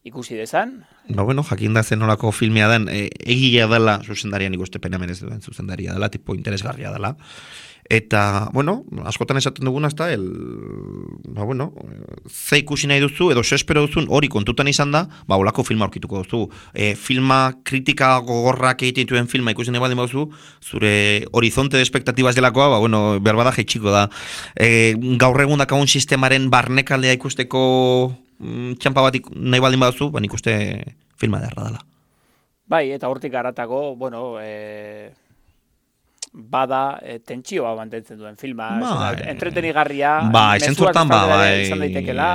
ikusi dezan. Jakin da zen nolako filmea den, egia dela zuzendarian ikuste penamen ez duen zuzendaria dela, tipo interesgarria dela. Eta, askotan esaten duguna, ezta, ze ikusi nahi duzu, edo espero duzun hori kontutan izan da, olako filma aurkituko duzu. Filma kritika gogorrak egiten dituen filma ikusi nahi baldin baduzu, zure horizonte de expectatibas delakoa, behar bada jaitsiko da. Gaur egun dakagun sistemaren barnekaldea ikusteko txampa bat nahi baldin baduzu, nik uste filma derra dela. Bai, eta hortik haratago, bada tentsioa mantentzen duen filma, entretenigarria, mezuak izan daitekela.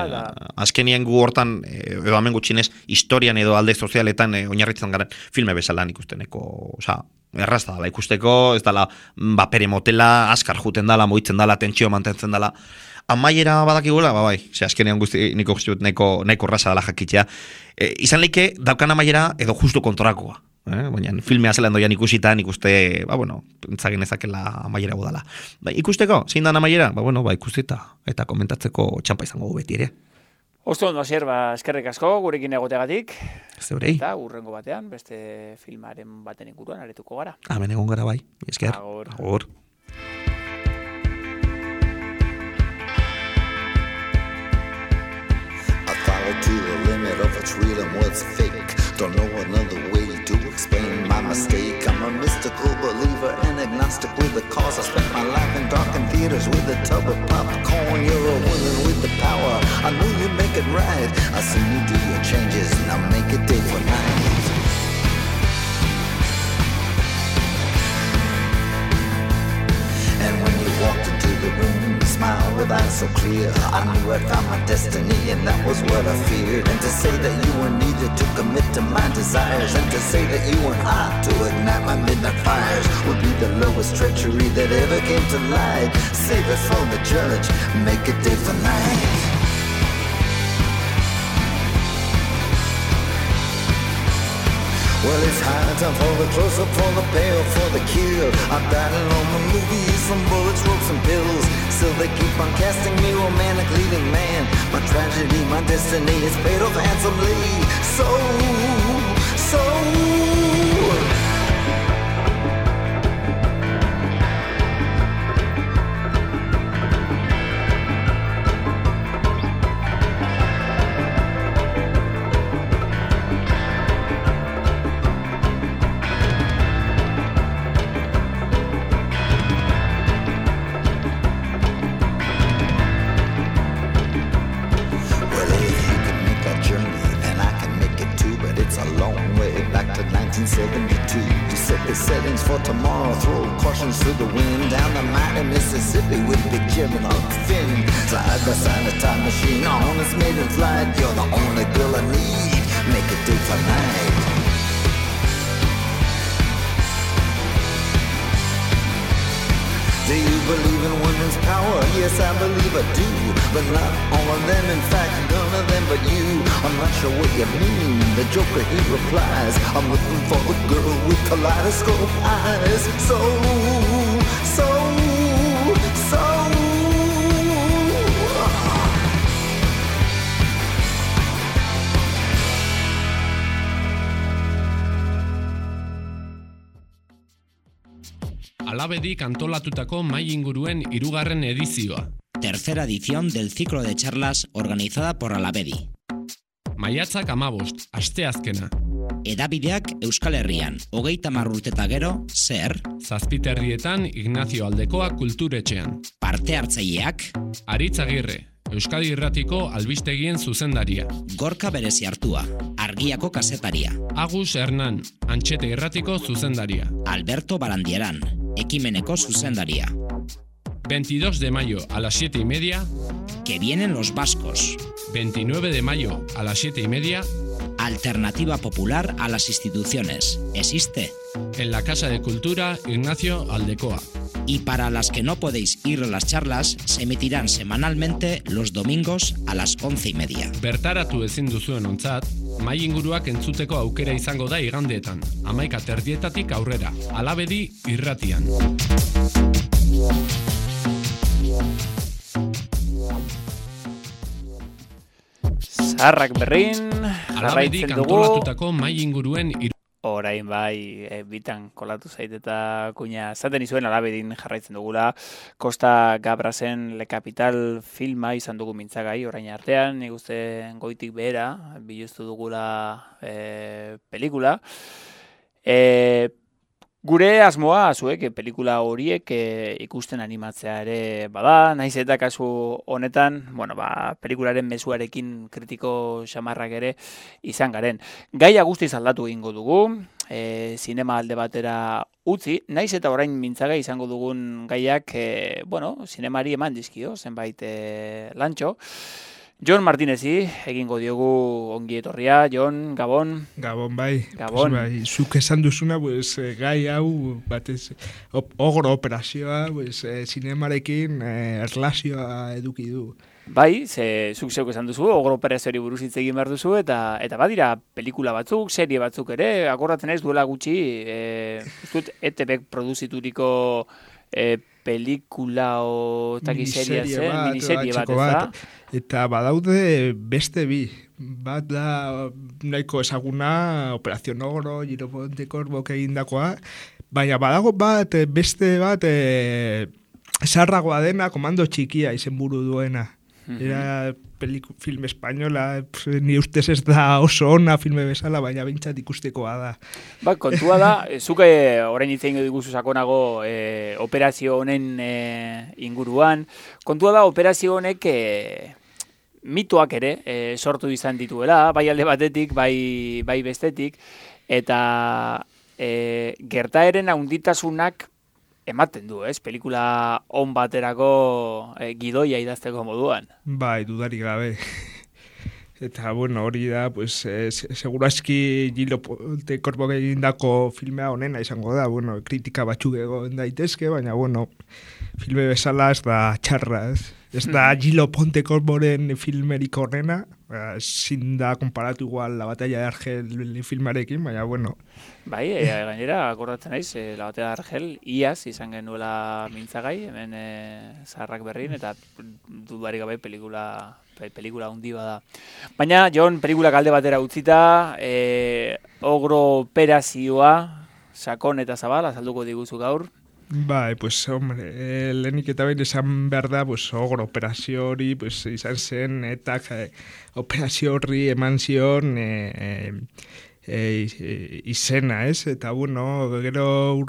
Azkenien gu hortan, edo hemen gutxinez, historian edo alde sozialetan oinarritzen garen filme bezala nik usteneko, errazta dela ikusteko, ez dela bapere motela, askar juten dela, moitzen dela, tentsio mantentzen dela. Amaiera badakigula, azkenean guzti niko guztiut nahiko erraza dela jakitzea. Izan leike, daukan amaiera edo justu kontorakoa. Baina filmea zelan doian ikusitan ikuste, entzagin ezakela amaiera budala. Ikusteko, zein dan amaiera? Ikusteta eta komentatzeko txampa izango beti ere. Osto ondo, Hasier, eskerrik asko gurekin egotegatik. Zeurei. Eta urrengo batean, beste filmaren baten inguruan aretuko gara. Hemen egon gara bai, esker. Agur. To the limit of what's real and what's fake. Don't know another way to explain my mistake. I'm a mystical believer and agnostic with the cause. I spent my life in darkened theaters with a tub of popcorn. You're a woman with the power, I know you make it right. I seen you do your changes, now make it day for night. And when you walked into the room, you smiled with eyes so clear. I knew I'd found my destiny and that was what I feared. And to say that you were needed to commit to my desires, and to say that you were hot to ignite my midnight fires, would be the lowest treachery that ever came to light. Save it for the judge, make it day for night. Well, it's high time for the close-up, for the payoff, for the kill. I'm battling on my movies from bullets, ropes, and pills. Still they keep on casting me romantic leading man. My tragedy, my destiny is paid off handsomely. So 1972. We set the settings for tomorrow, throw cautions to the wind. Down the mighty Mississippi with Big Jim and Huck Finn. Side by side a time machine on its maiden flight. You're the only girl I need, make it day for night. Do you believe in women's power? Yes, I believe I do. But not all of them, in fact, none of them but you. I'm not sure what you mean. The Joker, he replies, I'm looking for the girl with kaleidoscope eyes. So Alabedik antolatutako mai inguruen 3. edizioa. Tercera edición del ciclo de charlas organizada por Alabedi. Maiatzak 15, asteazkena. Edabideak Euskal Herrian, 30 urteta gero, zer? Zazpiterrietan Ignacio Aldekoa kulturetxean. Parte hartzaileak? Aritz Agirre, Euskadi Irratiko albistegien zuzendaria. Gorka Berezi Artua, Argiako kazetaria. Agus Hernan, Antxete Irratiko zuzendaria. Alberto Barandieran, Ekimeneko zuzendaria. 22 de mayo a las 7:30. Que vienen los vascos. 29 de mayo a las 7:30. Alternativa popular a las instituciones. ¿Existe? En la Casa de Cultura Ignacio Aldecoa. Y para las que no podéis ir a las charlas, se emitirán semanalmente los domingos a las 11:30. Bertaratu ezin duzuen ontzat, mai inguruak entzuteko aukera izango da igandeetan, 11:00 aurrera, Alabedi irratian. Zaharrak berrin, Alabedik jarraitzen dugu. antolatutako mai inguruen Orain bai, bitan kolatu zait eta kuina zaten izuen Alabedin jarraitzen dugula. Costa Gabrasen Le Capital filma izan dugu mintzagai orain artean, nik uste goitik behera, biluztu dugula pelikula. Gure asmoa, zuek, pelikula horiek ikusten animatzea ere bada, naiz eta kasu honetan, pelikularen mezuarekin kritiko xamarrak ere izan garen. Gaia guztiz aldatu egingo dugu, zinema alde batera utzi, naiz eta orain mintzagai izango dugun gaiak, zinemari eman dizkio, zenbait lantxo. Jon Martinezi egingo diogu ongi etorria. Jon, Gabon. Gabon, bai. Gabon. Pues, bai, zuk esan duzuna, gai hau, batez, ogro operazioa, zinemarekin erlazioa eduki du. Bai, zuk zeuk esan duzu, ogro operazioari buruz hitz egin behar duzu, eta badira pelikula batzuk, serie batzuk ere, akordatzen ez duela gutxi, ETBek produzituriko pelikula o miniserie bat, ez da? Eta badaude beste bi. Bat da nahiko ezaguna, Operación Ogro, Giroponte Korbok egindakoa, baina badago beste bat zarragoa dena, Komando Txikia izenburu duena. Era film espainola, ni ustez ez da oso ona filme bezala, baina behintzat ikustekoa da. Ba, kontua da, zuke orain hitz egingo diguzu sakonago operazio honen inguruan. Kontua da, operazio honek mitoak ere sortu izan dituela, bai alde batetik, bai bestetik, eta gertaeren handitasunak ematen du, pelikula on baterako gidoia idazteko moduan. Bai, dudarik gabe. Eta, hori da, segurazki Giroponte Korbok egindako filmea honena izango da, kritika batzuk egon daitezke, baina, filme bezala ez da txarra, ez? Ez da Giroponte Korboren filmerik horrena, ezin da konparatu igual La Batalla de Argel filmarekin, baina, Bai, gainera, akordatzen naiz, La Batalla de Argel, iaz izan genuela mintzagai, hemen zaharrak berrin, eta dudarik gabe pelikula handi bada. Baina, Jon, pelikulak alde batera utzita, ogro operazioa, sakon eta zabal, azalduko diguzu gaur. Bai, lehenik eta behin esan behar da, ogro operazio hori, izan zen, eta operazio horri eman zion izena, ez? Eta, gero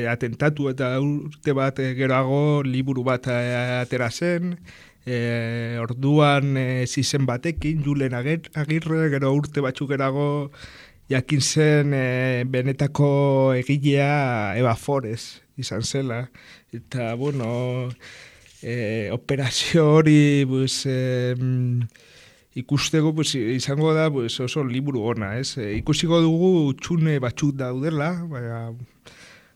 atentatu eta urte bat geroago liburu bat atera zen, orduan zizen batekin, Julen Agirre, gero urte batzuk geroago jakin zen benetako egilea Eva Forez izan zela. Eta, bueno, operazio hori, pues, ikusteko pues, izango da pues, oso liburu ona, ez? Ikusiko dugu txune batzuk daudela, baina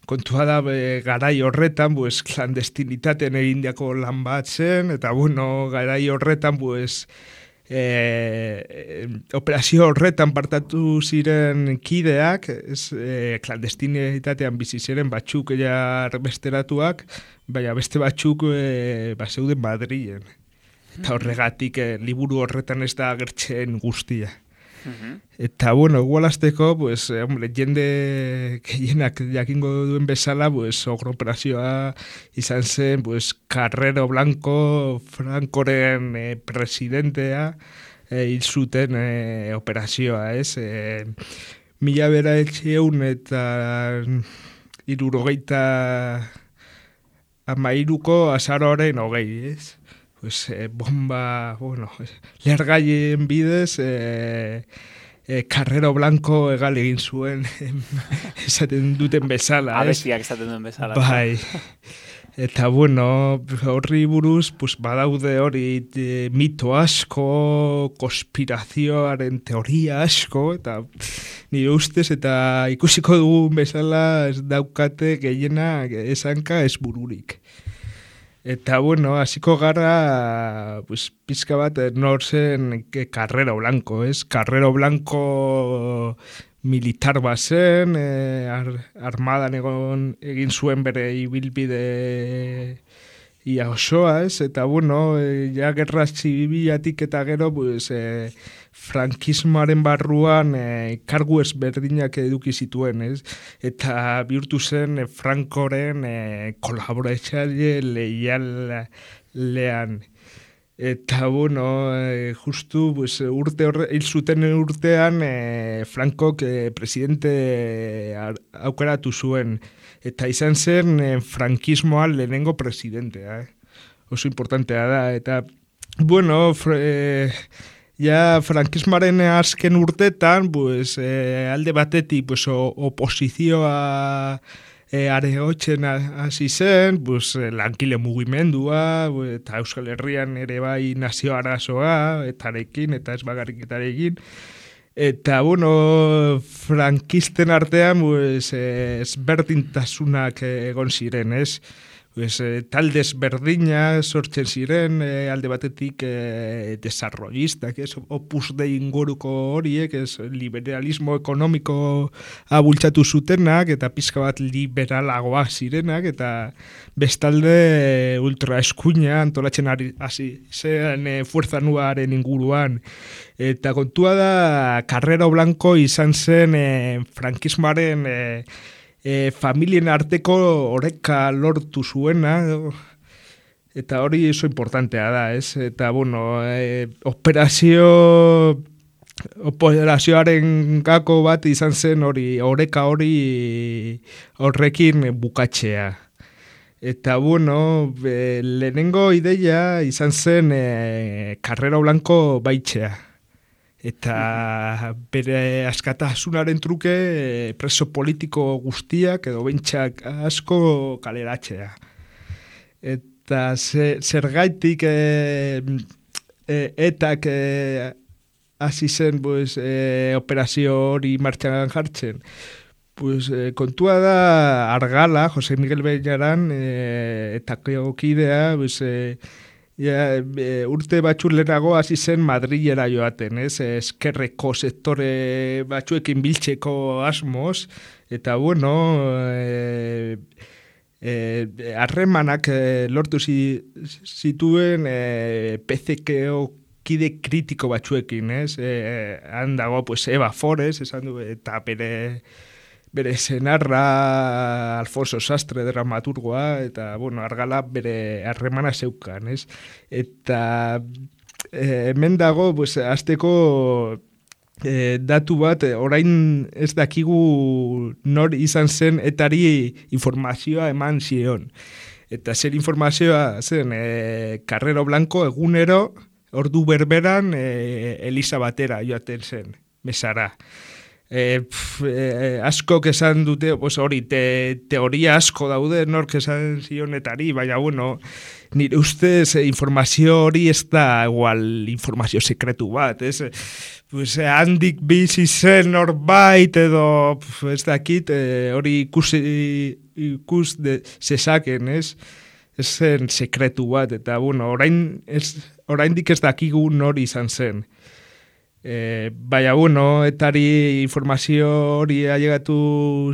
kontua da garai horretan, pues, klandestinitaten egindiako lan bat zen, eta bueno, garai horretan, pues, operazio horretan partatu ziren kideak, klandestinitatean bizi ziren batzuk besteratuak, baina beste batzuk zeuden Madrilen. Eta horregatik liburu horretan ez da agertzen guztia. Eta, bueno, igualazteko, pues, hombre, jende gehienak jakingo duen bezala, pues, ogro operazioa izan zen, pues, Carrero Blanco, Francoren presidentea, hil zuten operazioa, ez? 1973ko azaroaren 20, ez? Pues, bomba, bueno, lehergaien bidez, Carrero Blanco egal egin zuen, esaten duten bezala. Abestiak esaten duen bezala. Bai. Eta, bueno, horri buruz, pues, badaude hori mito asko, konspirazioaren teoria asko, eta nire ustez, eta ikusiko dugun bezala ez daukate gehiena esanka ez bururik. Eta, bueno, hasiko gara, pues, pizka bat, nor zen Carrero Blanco, ez? Carrero Blanco militar bazen, armadan egin zuen bere ibilbide ia osoa, ez? Eta, bueno, ja gerra zibilatik eta gero, pues, frankismoaren barruan kargu ezberdinak eduki zituen, ez? Eta bihurtu zen Francoren kolaboratzaile leialean. Eta, bueno, justu pues, hil zuten urtean Frankok presidente aukeratu zuen. Eta izan zen frankismoa lehenengo presidentea. Oso importantea da. Eta, bueno, ja frankismoaren azken urtetan, pues, alde batetik pues, oposizioa aregotzen hasi zen, pues, lankile mugimendua, eta Euskal Herrian ere bai nazio arazoa, etarekin, eta ez bakarriketarekin. Eta, bueno, frankisten artean, pues, ezberdintasunak egon ziren, ez? Pues, talde ezberdinak sortzen ziren, alde batetik desarrollistak, ez? Opus Dei inguruko horiek, ez? Liberalismo ekonomiko abultzatu zutenak, eta pizka bat liberalagoa zirenak, eta bestalde ultraeskuina antolatzen hasi zen Fuerza Nuaren inguruan. Eta kontua da, Carrero Blanco izan zen frankismoaren familien arteko oreka lortu zuena, eta hori oso importantea da, ez? Eta, bueno, operazioaren gako bat izan zen hori, oreka hori horrekin bukatzea. Eta, bueno, lehenengo ideia izan zen Carrero Blanco baitzea. Eta bere askatasunaren truke preso politiko guztiak edo bentsak asko kaleratzea. Eta zergaitik etak hasi zen pues, operazio hori martxan jartzen. Pues, kontua da Argala, Jose Miguel Bellaran, eta kidea, pues, urte batxur lehenago hasi zen Madrilera joaten, ez? Eskerreko sektore batzuekin biltzeko asmoz, eta bueno, harremanak lortu zituen PCKO kide kritiko batzuekin, ez? Han dago, pues, Eva Forez, esan du, eta bere senarra Alfonso Sastre dramaturgoa, eta, bueno, Argala bere harremana zeukan, ez? Eta hemen dago, pues, azteko datu bat, orain ez dakigu nor izan zen etari informazioa eman zion. Eta zer informazioa zen, Carrero Blanco egunero, ordu berberan, Eliza batera joaten zen, mesara. askok esan dute, hori, teoria asko daude nork esan zionetari, baina, bueno, nire ustez informazio hori ez da igual informazio sekretu bat, ez? Handik bizi zen norbait edo, ez dakit, hori ikus zezaken, ez? Ez zen sekretu bat, eta, bueno, oraindik ez dakigu nori izan zen. Baina, bueno, etari informazio hori ailegatu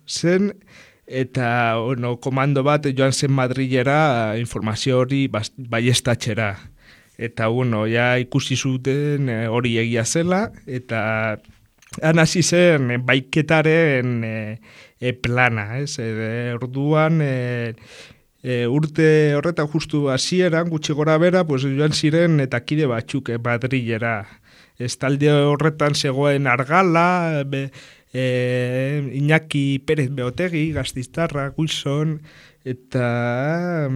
zen, eta, bueno, komando bat joan zen Madrilera informazio hori baieztatzera. Eta, bueno, ja ikusi zuten hori egia zela, eta han hasi zen baiketaren plana, ez? Orduan, urte horretan justu hasieran gutxi gora bera, joan ziren eta kide batzuk Madrilera. Ez talde horretan zegoen Argala, Iñaki Pérez Beotegi, Gaztiztarra, Wilson, eta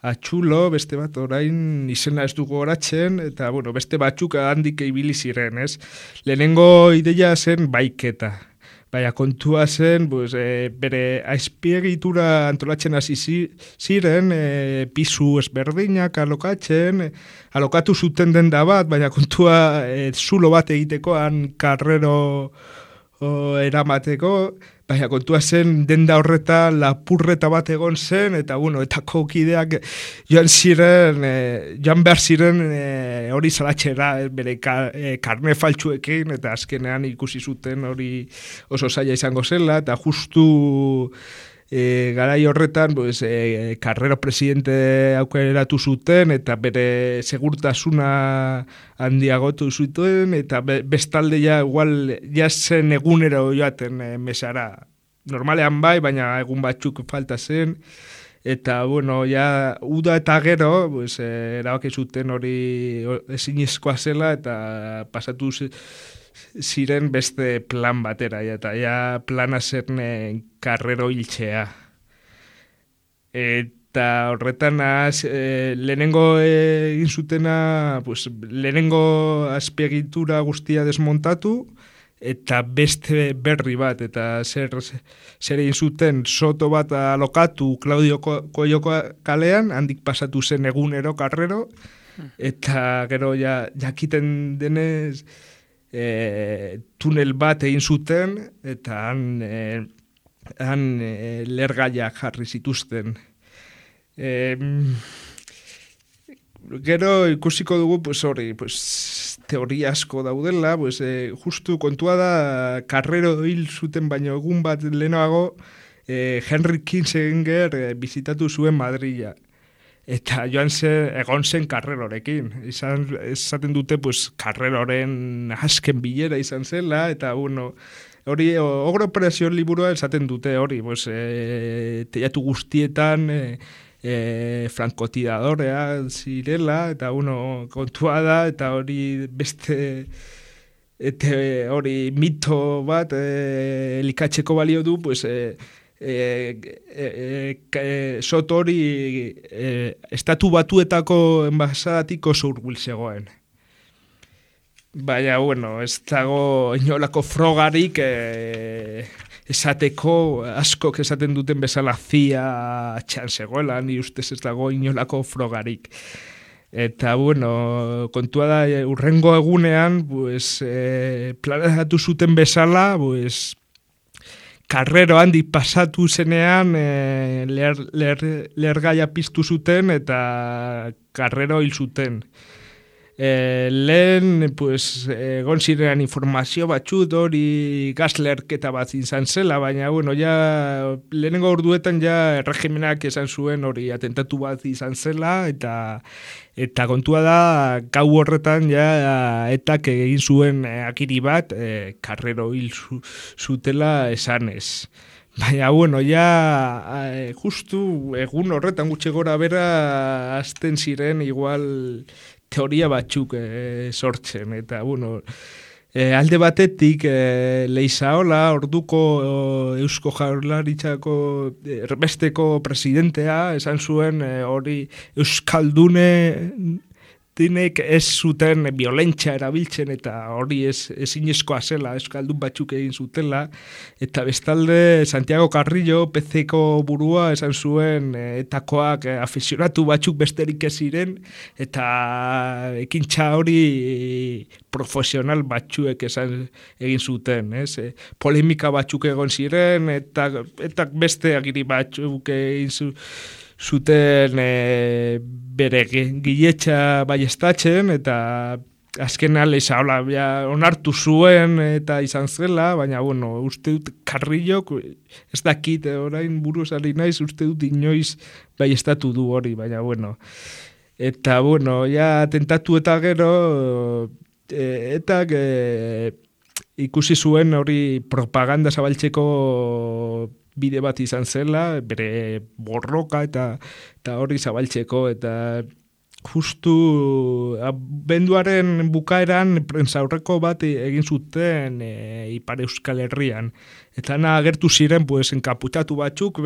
Atxulo, beste bat orain izena ez dugu horatzen, eta bueno, beste batzuk handik ibili ziren, ez? Lehenengo ideia zen baiketa. Baina kontua zen, bere azpiegitura antolatzen hasi ziren, pisu ezberdinak alokatu zuten denda bat, baina kontua zulo bat egiteko, han karrero eramateko, baina kontua zen denda horretan lapurreta bat egon zen, eta bueno, eta kokideak joan behar ziren hori salatxera bere karne faltsuekin, eta azkenean ikusi zuten hori oso zaila izango zela, eta justu garai horretan Carrero presidente aukeratu zuten, eta bere segurtasuna handiagotu zuten, eta bestalde igual zen egunero joaten mesara. Normalean bai, baina egun batzuk falta zen, eta bueno, uda eta gero, erabaki zuten hori ezinezkoa zela, eta pasatu ziren beste plan batera, eta plana zen Carrero hiltzea. Eta horretan lehenengo egin zutena, lehenengo azpiegitura guztia desmontatu, eta beste berri bat, eta zer egin zuten soto bat alokatu Claudio Koioko kalean, handik pasatu zen egunero Carrero, eta gero jakiten denez tunel bat egin zuten, eta han lergaiak jarri zituzten. Gero ikusiko dugu, hori, teoria asko daudela, justu kontua da Carrero hil zuten baino egun bat lehenago Henry Kissinger bizitatu zuen Madrila. Eta egon zen Carrerorekin. Esaten dute, Carreroren azken bilera izan zela, eta bueno, hori Ogro Operazio liburua esaten dute hori, teiatu guztietan frankotiradorea zirela, eta bueno, kontua da, eta hori beste hori mito bat elikatzeko balio du, soto hori estatu batuetako enbasadatik oso hurbil zegoen. Baina, bueno, ez dago inolako frogarik esateko, askok esaten duten bezala zia atxan zegoela, ni ustez ez dago inolako frogarik. Eta, bueno, kontua da, urrengo egunean, planetatu zuten bezala, Carrero handik pasatu zenean lergaia piztu zuten eta Carrero hil zuten. Lehen, egon ziren informazio batzut hori gazlerketa bat izan zela, baina, bueno, lehenengo orduetan erregimenak esan zuen hori atentatu bat izan zela, eta kontua da, gau horretan etak egin zuen akiri bat, Carrero hil zutela esanez. Baina, bueno, justu egun horretan gutxi gora bera azten ziren igual teoria batzuk sortzen, eta, bueno, alde batetik Leizaola, orduko Eusko Jaurlaritzako erbesteko presidentea, esan zuen hori Euskaldune dinek ez zuten violentsia erabiltzen eta hori ezinezkoa zela, euskaldun batzuk egin zutela, eta bestalde Santiago Carrillo, PC-ko burua, esan zuen etakoak afizionatu batzuk besterik ez ziren, eta ekintza hori profesional batzuek egin zuten, ez? Polemika batzuk egon ziren, eta beste agiri batzuk egin zuten bere giletxa baiestatzen, eta azken aleza onartu zuen eta izan zela, baina bueno, uste dut Carrillok, ez dakit, orain buruz ari naiz, uste dut inoiz baiestatu du hori, baina bueno. Eta bueno, ja tentatu eta gero, eta ikusi zuen hori propaganda zabaltzeko bide bat izan zela, bere borroka eta hori zabaltzeko, eta justu abenduaren bukaeran prentsaurreko bat egin zuten Ipar Euskal Herrian. Eta agertu ziren enkaputatu batzuk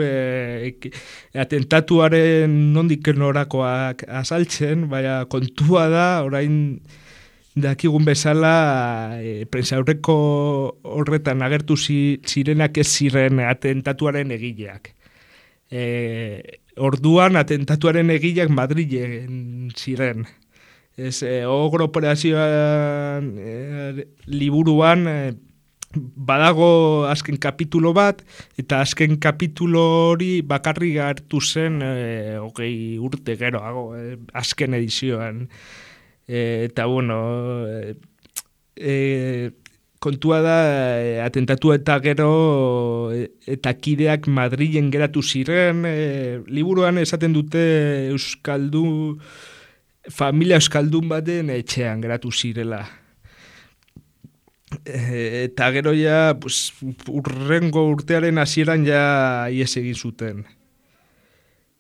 atentatuaren nondik norakoak azaltzen, baina kontua da, orain dakigun bezala, prentsaurreko horretan agertu zirenak ez ziren atentatuaren egileak. Orduan atentatuaren egileak Madrilen ziren. Ogro operazioan liburuan badago azken kapitulo bat, eta azken kapitulo hori bakarrik hartu zen 20 urte geroago, azken edizioan. Eta bueno, kontua da atentatu eta gero eta kideak Madrilen geratu ziren, liburuan esaten dute familia euskaldun baten etxean geratu zirela. Eta gero ja urrengo urtearen hasieran ja ihes egin zuten.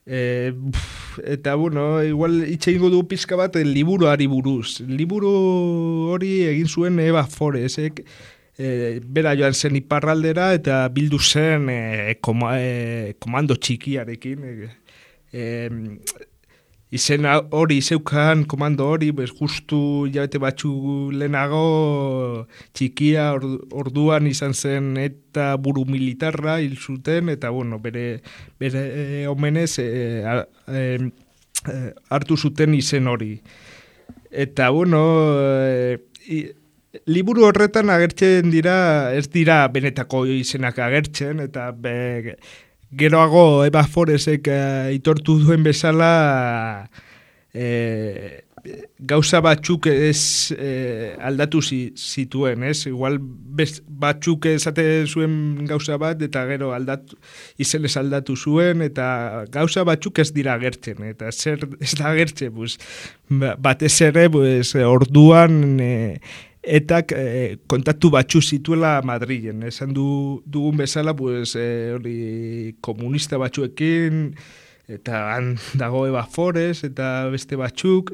Eta bueno, igual itxeingo du pizka bat liburuari buruz. Liburu hori egin zuen Eva Foresek, bera joan zen iparraldera eta bildu zen komando txikiarekin. Izen hori zeukan komando hori, justu jabete batzu lehenago txikia orduan izan zen eta buru militarra hil zuten, eta bueno, bere omenez hartu zuten izen hori. Eta bueno, liburu horretan agertzen dira, ez dira benetako izenak agertzen, eta geroago Eva Foresek aitortu duen bezala gauza batzuk ez aldatu zituen, ez? Igual batzuk esate zuen gauza bat eta gero izenez aldatu zuen, eta gauza batzuk ez dira agertzen, eta zer ez da agertzen, batez ere orduan eta kontaktu batzu zituela Madrilen. Esan dugun bezala, hori komunista batzuekin, eta han dago Eva Fores, eta beste batzuk,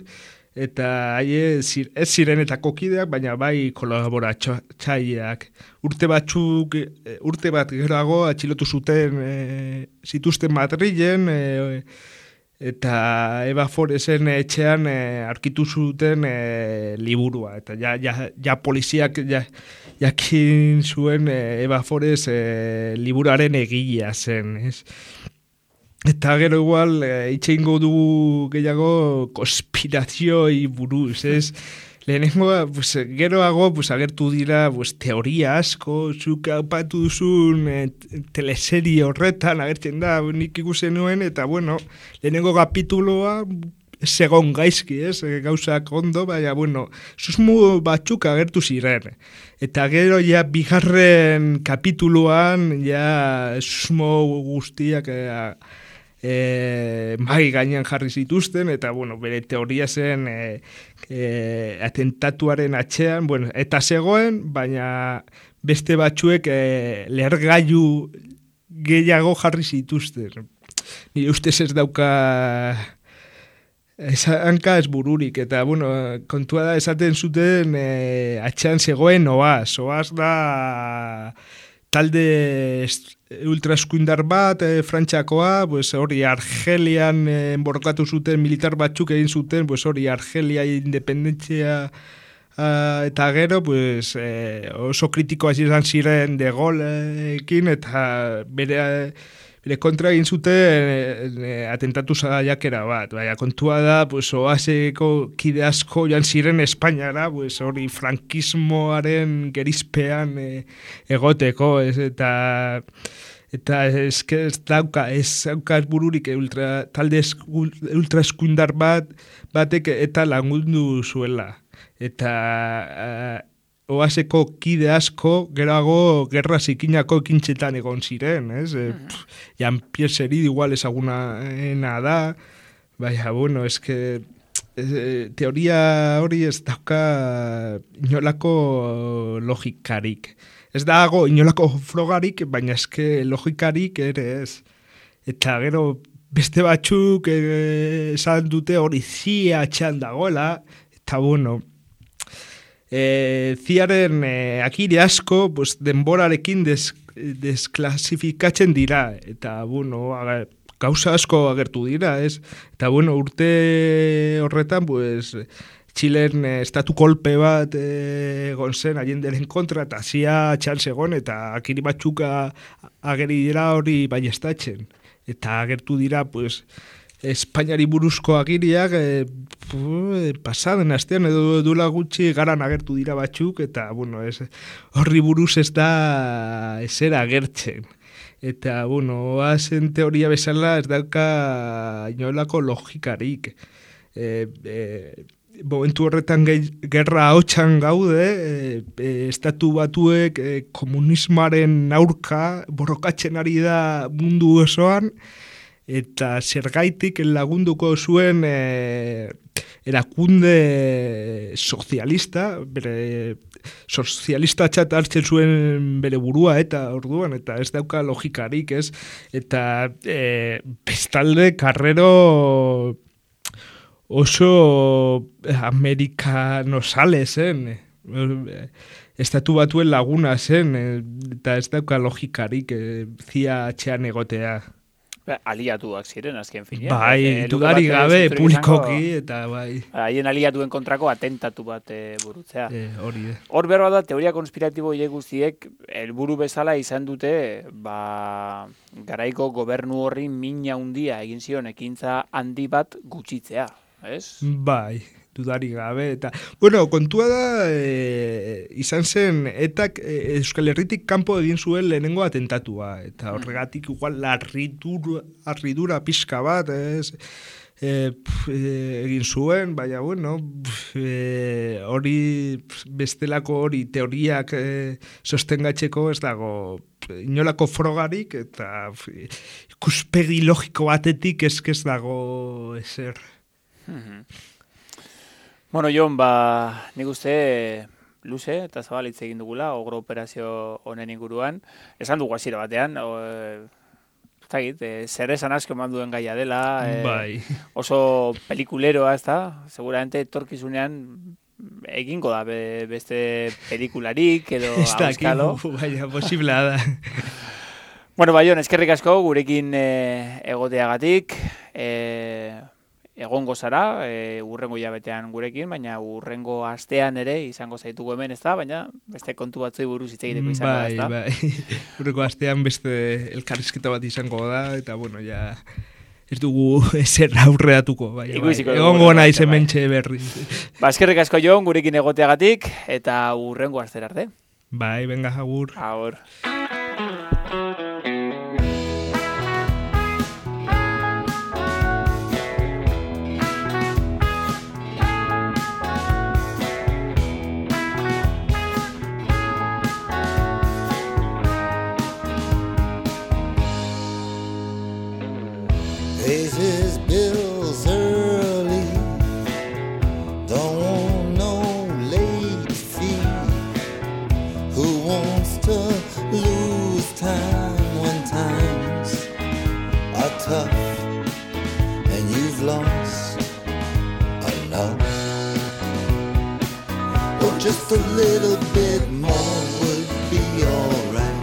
eta ez zirenetako kideak, baina bai kolaboratzaileak. Urte bat geroago atxilotu zituzten Madrilen, eta Eva Foresen etxean aurkitu zuten liburua, eta ja poliziak jakin zuen Eva Fores liburuaren egilea zen, ez? Eta gero igual itxeingo dugu gehiago konspirazioi buruz, ez? Lehenengo, geroago agertu dira teoria asko, zuk aipatu duzun teleserie horretan agertzen da, nik ikusen nuen, eta bueno, lehenengo kapituloa segon gaizki, ez? Gauzak ondo, baina bueno, susmu batzuk agertu ziren. Eta gero ja bigarren kapituloan ja susmo guztiak mai gainean jarri zituzten, eta bueno, bere teoria zen atentatuaren atzean, bueno, eta zegoen, baina beste batzuek lehergailu gehiago jarri zituzten. Nire ustez ez dauka hanka ez bururik, eta bueno, kontua da esaten zuten atzean zegoen Oaz da talde ultraeskuindar bat, Frantziakoa, pues hori Argelian borrokatu zuten militar batzuk egin zuten, pues hori Argelia independentzia eta gero, pues oso kritikoa izan ziren de Gaulleekin eta bere kontra egin zuten atentatu saiakera bat. Baina kontua da, pues oaseko kide asko joan ziren Espainiara, pues hori frankismoaren gerizpean egoteko, eta eske ez dauka bururik talde ultraeskuindar batek eta lagundu zuela. Eta oaseko kide asko gerago gerra zikinako ekintzetan egon ziren, ez? Jean-Pierre Seride igual ezaguna da, baina, bueno, eske teoria hori ez dauka inolako logikarik. Ez dago inolako frogarik, baina eske logikarik ere ez. Eta gero beste batzuk esan dute hori zia atxan dagoela, eta bueno, ziaren akire asko pues, denborarekin desklasifikatzen dira, eta bueno, gauza asko agertu dira, ez? Eta bueno, urte horretan, pues, Txilen estatu kolpe bat egon zen Allenderen kontra, eta zia atxan zegoen, eta akiri batzuk ageri dira hori baiestatzen. Eta agertu dira, pues, Espainiari buruzko agiriak pasaden astean edo dula gutxi garan agertu dira batzuk, eta bueno, horri buruz ez da ezer agertzen. Eta bueno, oazen teoria bezala ez dauka inolako logikarik. Momentu horretan gerra ahotsan gaude, estatu batuek komunismoaren aurka borrokatzen ari da mundu osoan, eta zergaitik lagunduko zuen erakunde sozialista, bere sozialista txat hartzen zuen bere burua eta orduan, eta ez dauka logikarik, ez? Eta bestalde Carrero oso amerikanosale zen, estatu batuen laguna zen, eta ez dauka logikarik zia atxean egotea. Aliatuak ziren, azken finean. Bai, dudari gabe, publikoki, eta bai. Haien aliatuen kontrako atentatu bat burutzea. Hori. Hor berba da, teoria konspiratibo hile guztiek, helburu bezala izan dute, garaiko gobernu horri mina handia egin zion ekintza handi bat gutxitzea, ez? Bai, dudari gabe, eta, bueno, kontua da, izan zen, etak Euskal Herritik kanpo egin zuen lehenengo atentatua, eta horregatik igual arridura pixka bat, egin zuen, baina, bueno, hori, bestelako hori teoriak sostengatzeko ez dago inolako frogarik, eta ikuspegi logiko batetik ez dago ezer. Bueno, Jon, nik uste luze eta zabal hitz egin dugula, ogro operazio honen inguruan. Esan dugu hasiera batean, zer esan asko eman duen gaia dela, oso pelikuleroa, ez da? Seguramente etorkizunean egingo da beste pelikularik edo auskalo. Baina, posiblea da. Bueno, Jon, eskerrik asko gurekin egoteagatik, egongo zara, urrengo hilabetean gurekin, baina urrengo astean ere izango zaitugu hemen, ez da, baina beste kontu batzui buruz hitz egiteko izango da, ez da? Bai, urrengo astean beste elkarrizketa bat izango da, eta bueno, ja ez dugu ezer aurreatuko, bai. Egongo naiz hementxe berri. Eskerrik asko Jon, gurekin egoteagatik, eta urrengo astera arte. Bai, venga, agur. Agur. Pays his bills early, don't want no late fee. Who wants to lose time when times are tough and you've lost enough? Oh, just a little bit more would be alright.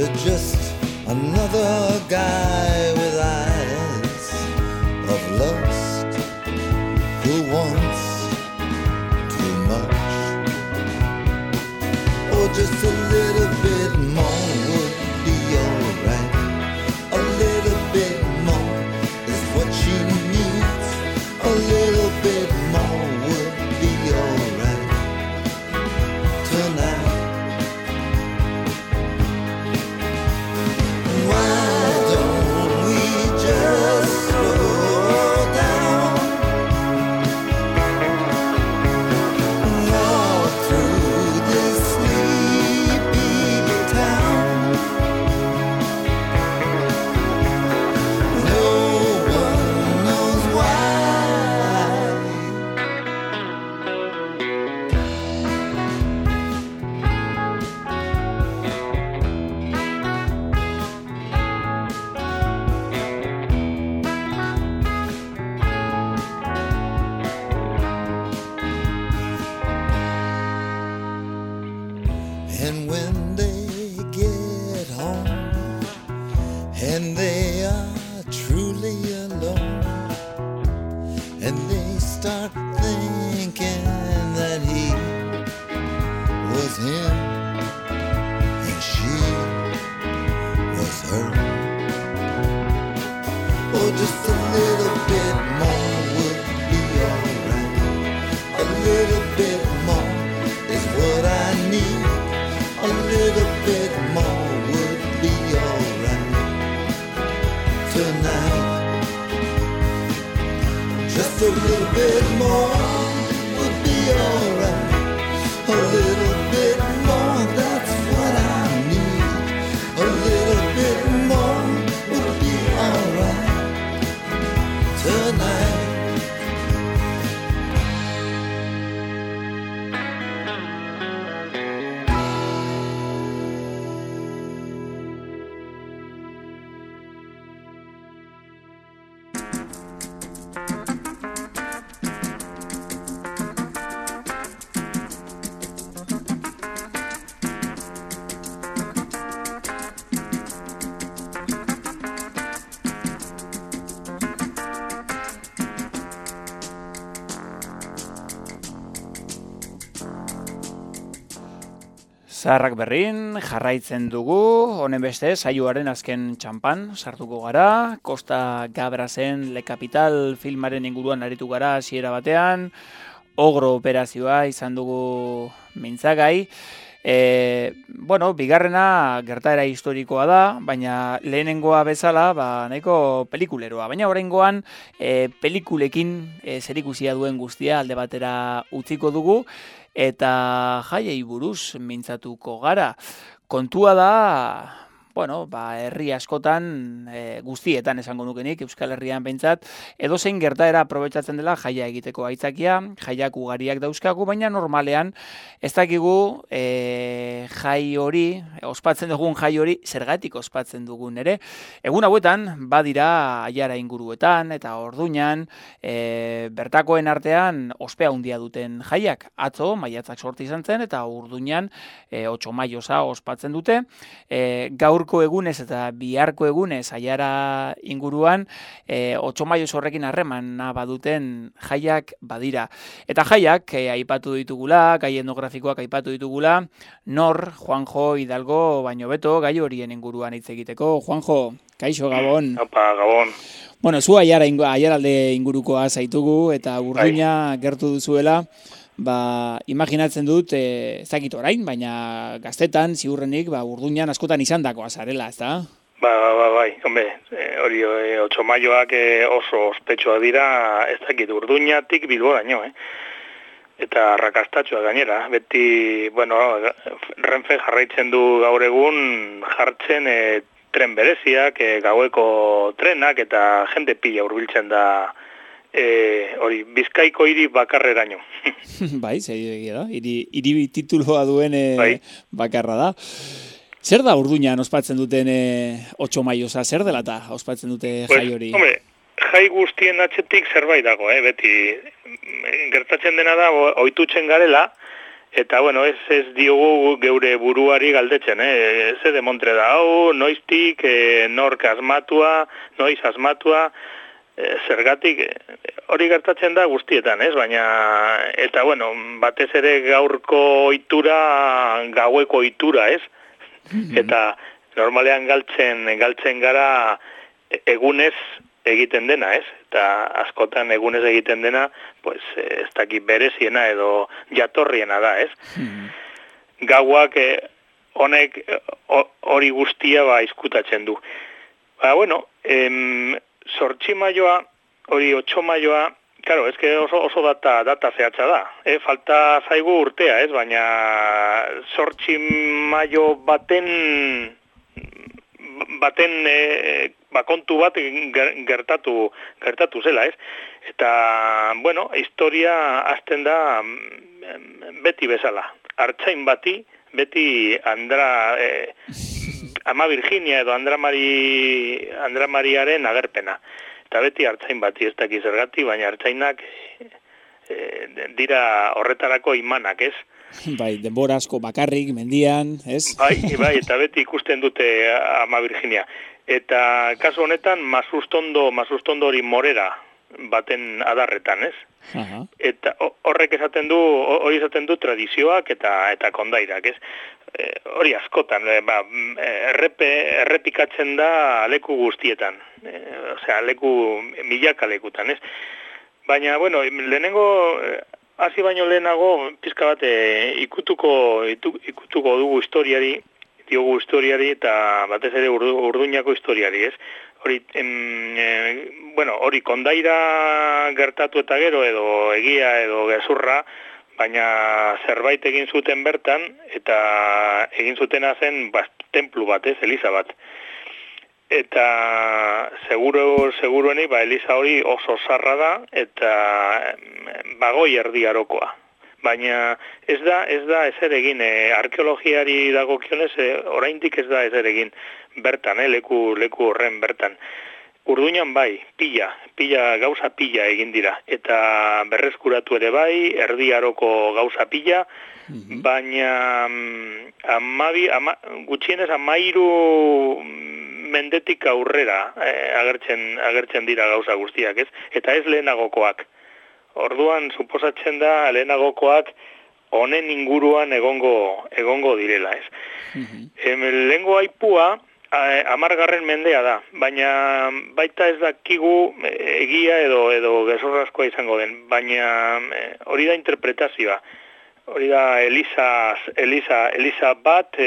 to just another guy with eyes of lust who wants too much. Oh, just a little bit more would be alright. A little bit more is what she needs. A little bit more would be alright tonight. Why don't we just slow down, walk through this sleepy town? No one knows why. And when they get home and they are truly alone, and they start thinking that he was him and she was her. Oh, just a little bit more would be alright. A little bit more is what I need. A little bit more would be alright tonight. Just a little bit more would be alright. A little bit more, that's what I need. A little bit more would be alright tonight. Zaharrak berrin, jarraitzen dugu, honen beste, saioaren azken txampan sartuko gara, Costa Gabrasen Le Capital filmaren inguruan aritu gara hasiera batean, Ogro operazioa izan dugu mintzagai, bigarrena gertaera historikoa da, baina lehenengoa bezala, nahiko pelikuleroa, baina oraingoan pelikulekin zerikusia duen guztia alde batera utziko dugu, eta jaiei buruz mintzatuko gara. Kontua da, herri askotan, guztietan esango nukenik, Euskal Herrian behintzat, edozein gertaera aprobetxatzen dela jaia egiteko aitzakia, jaiak ugariak dauzkagu, baina normalean ez dakigu jai hori, ospatzen dugun jai hori, zergatik ospatzen dugun ere. Egun hauetan, badira aiara inguruetan eta Orduñan, bertakoen artean ospea handia duten jaiak. Atzo, maiatzak sorti izan zen, eta Orduñan 8 maiosa ospatzen dute. Gaurko egunez eta biharko egunez aiara inguruan 8 maioz horrekin harremana baduten jaiak badira. Eta jaiak aipatu ditugula, gai etnografikoak aipatu ditugula, nor, Juanjo Hidalgo baino beto, gai horien inguruan hitz egiteko. Juanjo, kaixo, Gabon. Opa, Gabon. Zu aiaralde ingurukoa zaitugu eta Urduña gertu duzuela, imaginatzen dut, ez dakit orain, baina gaztetan, ziurrenik, Urduñan askotan izandakoa zarela, ez da? Bai, hori 8 maioak oso ospetsua dira, ez dakit Urduñatik Bilboraino, eta arrakastatxoa gainera. Beti, Renfe jarraitzen du gaur egun jartzen tren bereziak, gaueko trenak, eta jende pila hurbiltzen da hori, Bizkaiko hiri bakarreraino. Bai, egia da, hiri tituloa duen bakarra da. Zer da Urduñan ospatzen duten 8 maiosa, zer dela eta ospatzen dute jai hori? Jai guztien atzetik zerbait dago, beti gertatzen dena da, ohitutzen garela, Eta, bueno, ez diogu geure buruari galdetzen, ze demontre da, hau, noiztik, nork asmatua, noiz asmatua, zergatik, hori gertatzen da guztietan, ez? Baina, eta, bueno, batez ere gaurko ohitura, gaueko ohitura, ez? Eta, normalean galtzen gara egunez egiten dena, ez? Eta askotan egunez egiten dena, pues, ez dakit bereziena edo jatorriena da, ez? Gauak honek hori guztia izkutatzen du. Ba, bueno, 8 maioa, hori 8 maioa, claro, es que oso data zehatza da. Falta zaigu urtea, ez? Baina 8 maio baten kontu bat gertatu zela, ez? Eta, bueno, historia hasten da beti bezala. Artzain bati, beti Ama Virginia edo Andra Mariaren agerpena. Eta beti artzain bati, ez dakiz zergatik, baina artzainak dira horretarako imanak, ez? Bai, denbora asko bakarrik, mendian, ez? Bai, eta beti ikusten dute Ama Virginia. Eta kasu honetan, Masustondo hori Morera baten adarretan, ez? Aha. Eta horrek esaten du tradizioak eta kondairak, ez? Hori askotan, errepikatzen da leku guztietan, leku milaka lekutan, ez? Baina, bueno, lehenengo, hasi baino lehenago, pizka bat ikutuko dugu diogu historiari eta batez ere Urduñako historiari, ez? Hori, hori kondaira gertatu eta gero edo egia edo gezurra, baina zerbait egin zuten bertan eta egin zutena zen templu bat, ez? Eliza bat. Eta segurueni, eliza hori oso zarra da eta bagoi erdi arokoa. Baina ez da ezer egin, arkeologiari dagokionez, oraindik ez da ezer egin bertan, leku horren bertan. Urduñan bai, gauza pila egin dira, eta berreskuratu ere bai, erdi aroko gauza pila, baina gutxienez 13 mendetik aurrera agertzen dira gauza guztiak, ez? Eta ez lehenagokoak. Orduan, suposatzen da, lehenagokoak honen inguruan egongo direla, ez? Lehengo aipua, 10. mendea da, baina baita ez dakigu egia edo gezurrazkoa izango den, baina hori da interpretazioa. Hori da Eliza bat,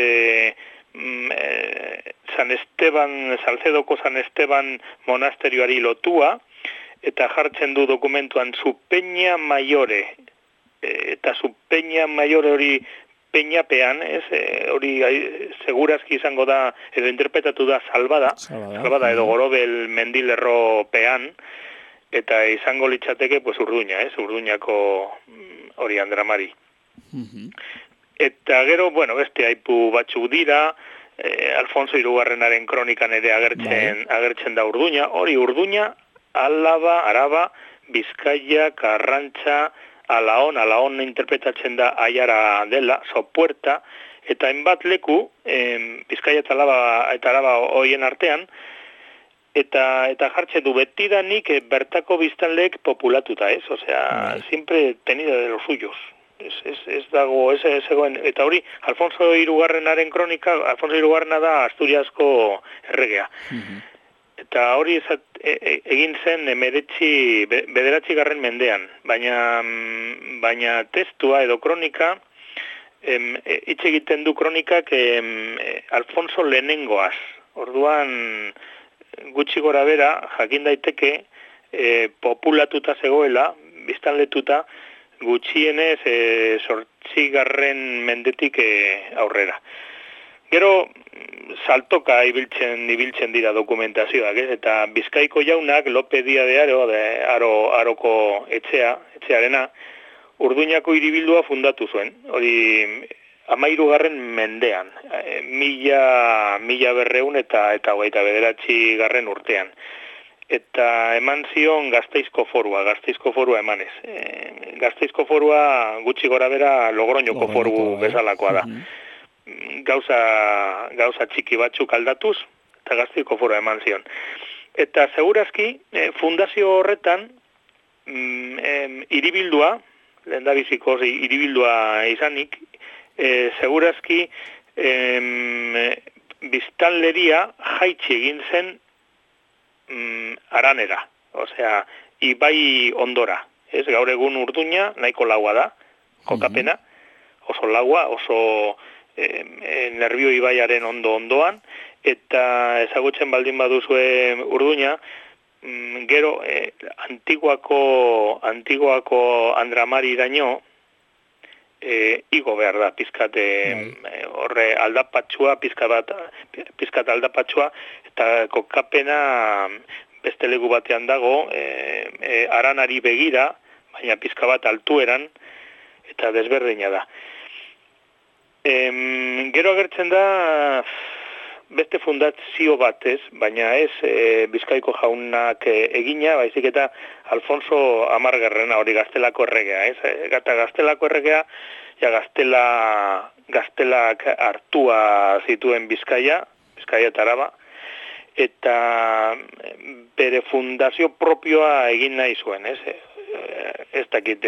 Salcedoko San Esteban monasterioari lotua, eta jartzen du dokumentuan zu Peña Maiore, eta zu Peña Maiore hori peñapean, hori segurazki izango da, edo interpretatu da salbada edo Gorobel mendilerro pean, eta izango litzateke Urduña, Urduñako hori Andramari. Eta gero, beste aipu batzuk dira, Alfonso Hirugarrenaren kronikan ere agertzen da Urduña, hori Urduña, Álava, Araba, Bizkaia, Karrantza, Alaon interpretatzen da Aiara dela, Sopuerta, eta hainbat leku, Bizkaia eta Araba hoien artean, eta jartzen du betidanik bertako biztanleek populatuta, ez? Osea, siempre tenido de los suyos. Ez dago, ez egoen, eta hori, Alfonso Hirugarrenaren kronika, Alfonso Hirugarrena da Asturiasko erregea. Eta hori egin zen 9. mendean, baina testua edo kronika, hitz egiten du kronikak Alfonso lehenengoaz. Orduan, gutxi gora bera, jakin daiteke, populatuta zegoela, biztanletuta, gutxienez 8. mendetik aurrera. Gero, saltoka ibiltzen dira dokumentazioak, ez? Eta Bizkaiko jaunak, Lope Dia de Aroko etxearena, Urduñako hiribildua fundatu zuen. Hori 13. mendean, 1200 eta 29. urtean. eta eman zion Gasteizko forua emanez. Gasteizko forua gutxi gora bera Logroñoko foru bezalakoa da. Gauza txiki batzuk aldatuz, eta Gasteizko forua eman zion. Eta segurazki, fundazio horretan, hiribildua, lehendabizikoz hiribildua izanik, segurazki biztanleria jaitsi egin zen aranera, osea, ibai ondora. Ez, gaur egun Urduña nahiko laua da, kokapena, oso laua, oso Nerbio ibaiaren ondoan, eta ezagutzen baldin baduzue Urduña, gero antiguako Andramari iraino, igo behar da, pizkat horre aldapatxua, pizkat aldapatxua, eta kokapena beste leku batean dago, aranari begira, baina pizka bat altueran, eta desberdina da. Gero agertzen da beste fundazio batez, baina ez Bizkaiko jaunak egina, baizik eta Alfonso Amargarrena, hori Gaztelako erregea, ez? Gata Gaztelako erregea, ja Gaztelak hartua zituen Bizkaia eta Araba, eta bere fundazio propioa egin nahi zuen, ez? Ez dakit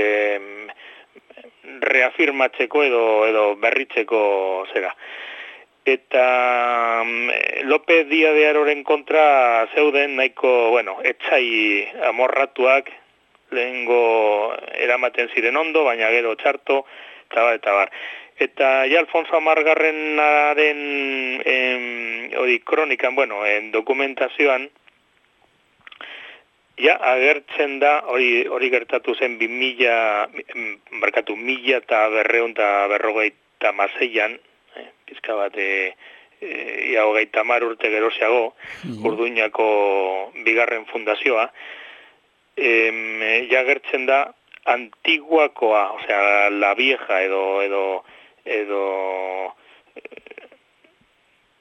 reafirmatzeko edo berritzeko zera. Eta López Díaz de Haroren kontra zeuden nahiko, etxai amorratuak lehengo eramaten ziren ondo, baina gero txarto, eta bar. Eta ja Alfonso Amargarrenaren hori kronikan, en dokumentazioan, ja agertzen da, hori gertatu zen 1956an, pizka bat ia 30 urte geroxeago, Urduñako bigarren fundazioa, ja agertzen da antiguakoa, osea, la vieja edo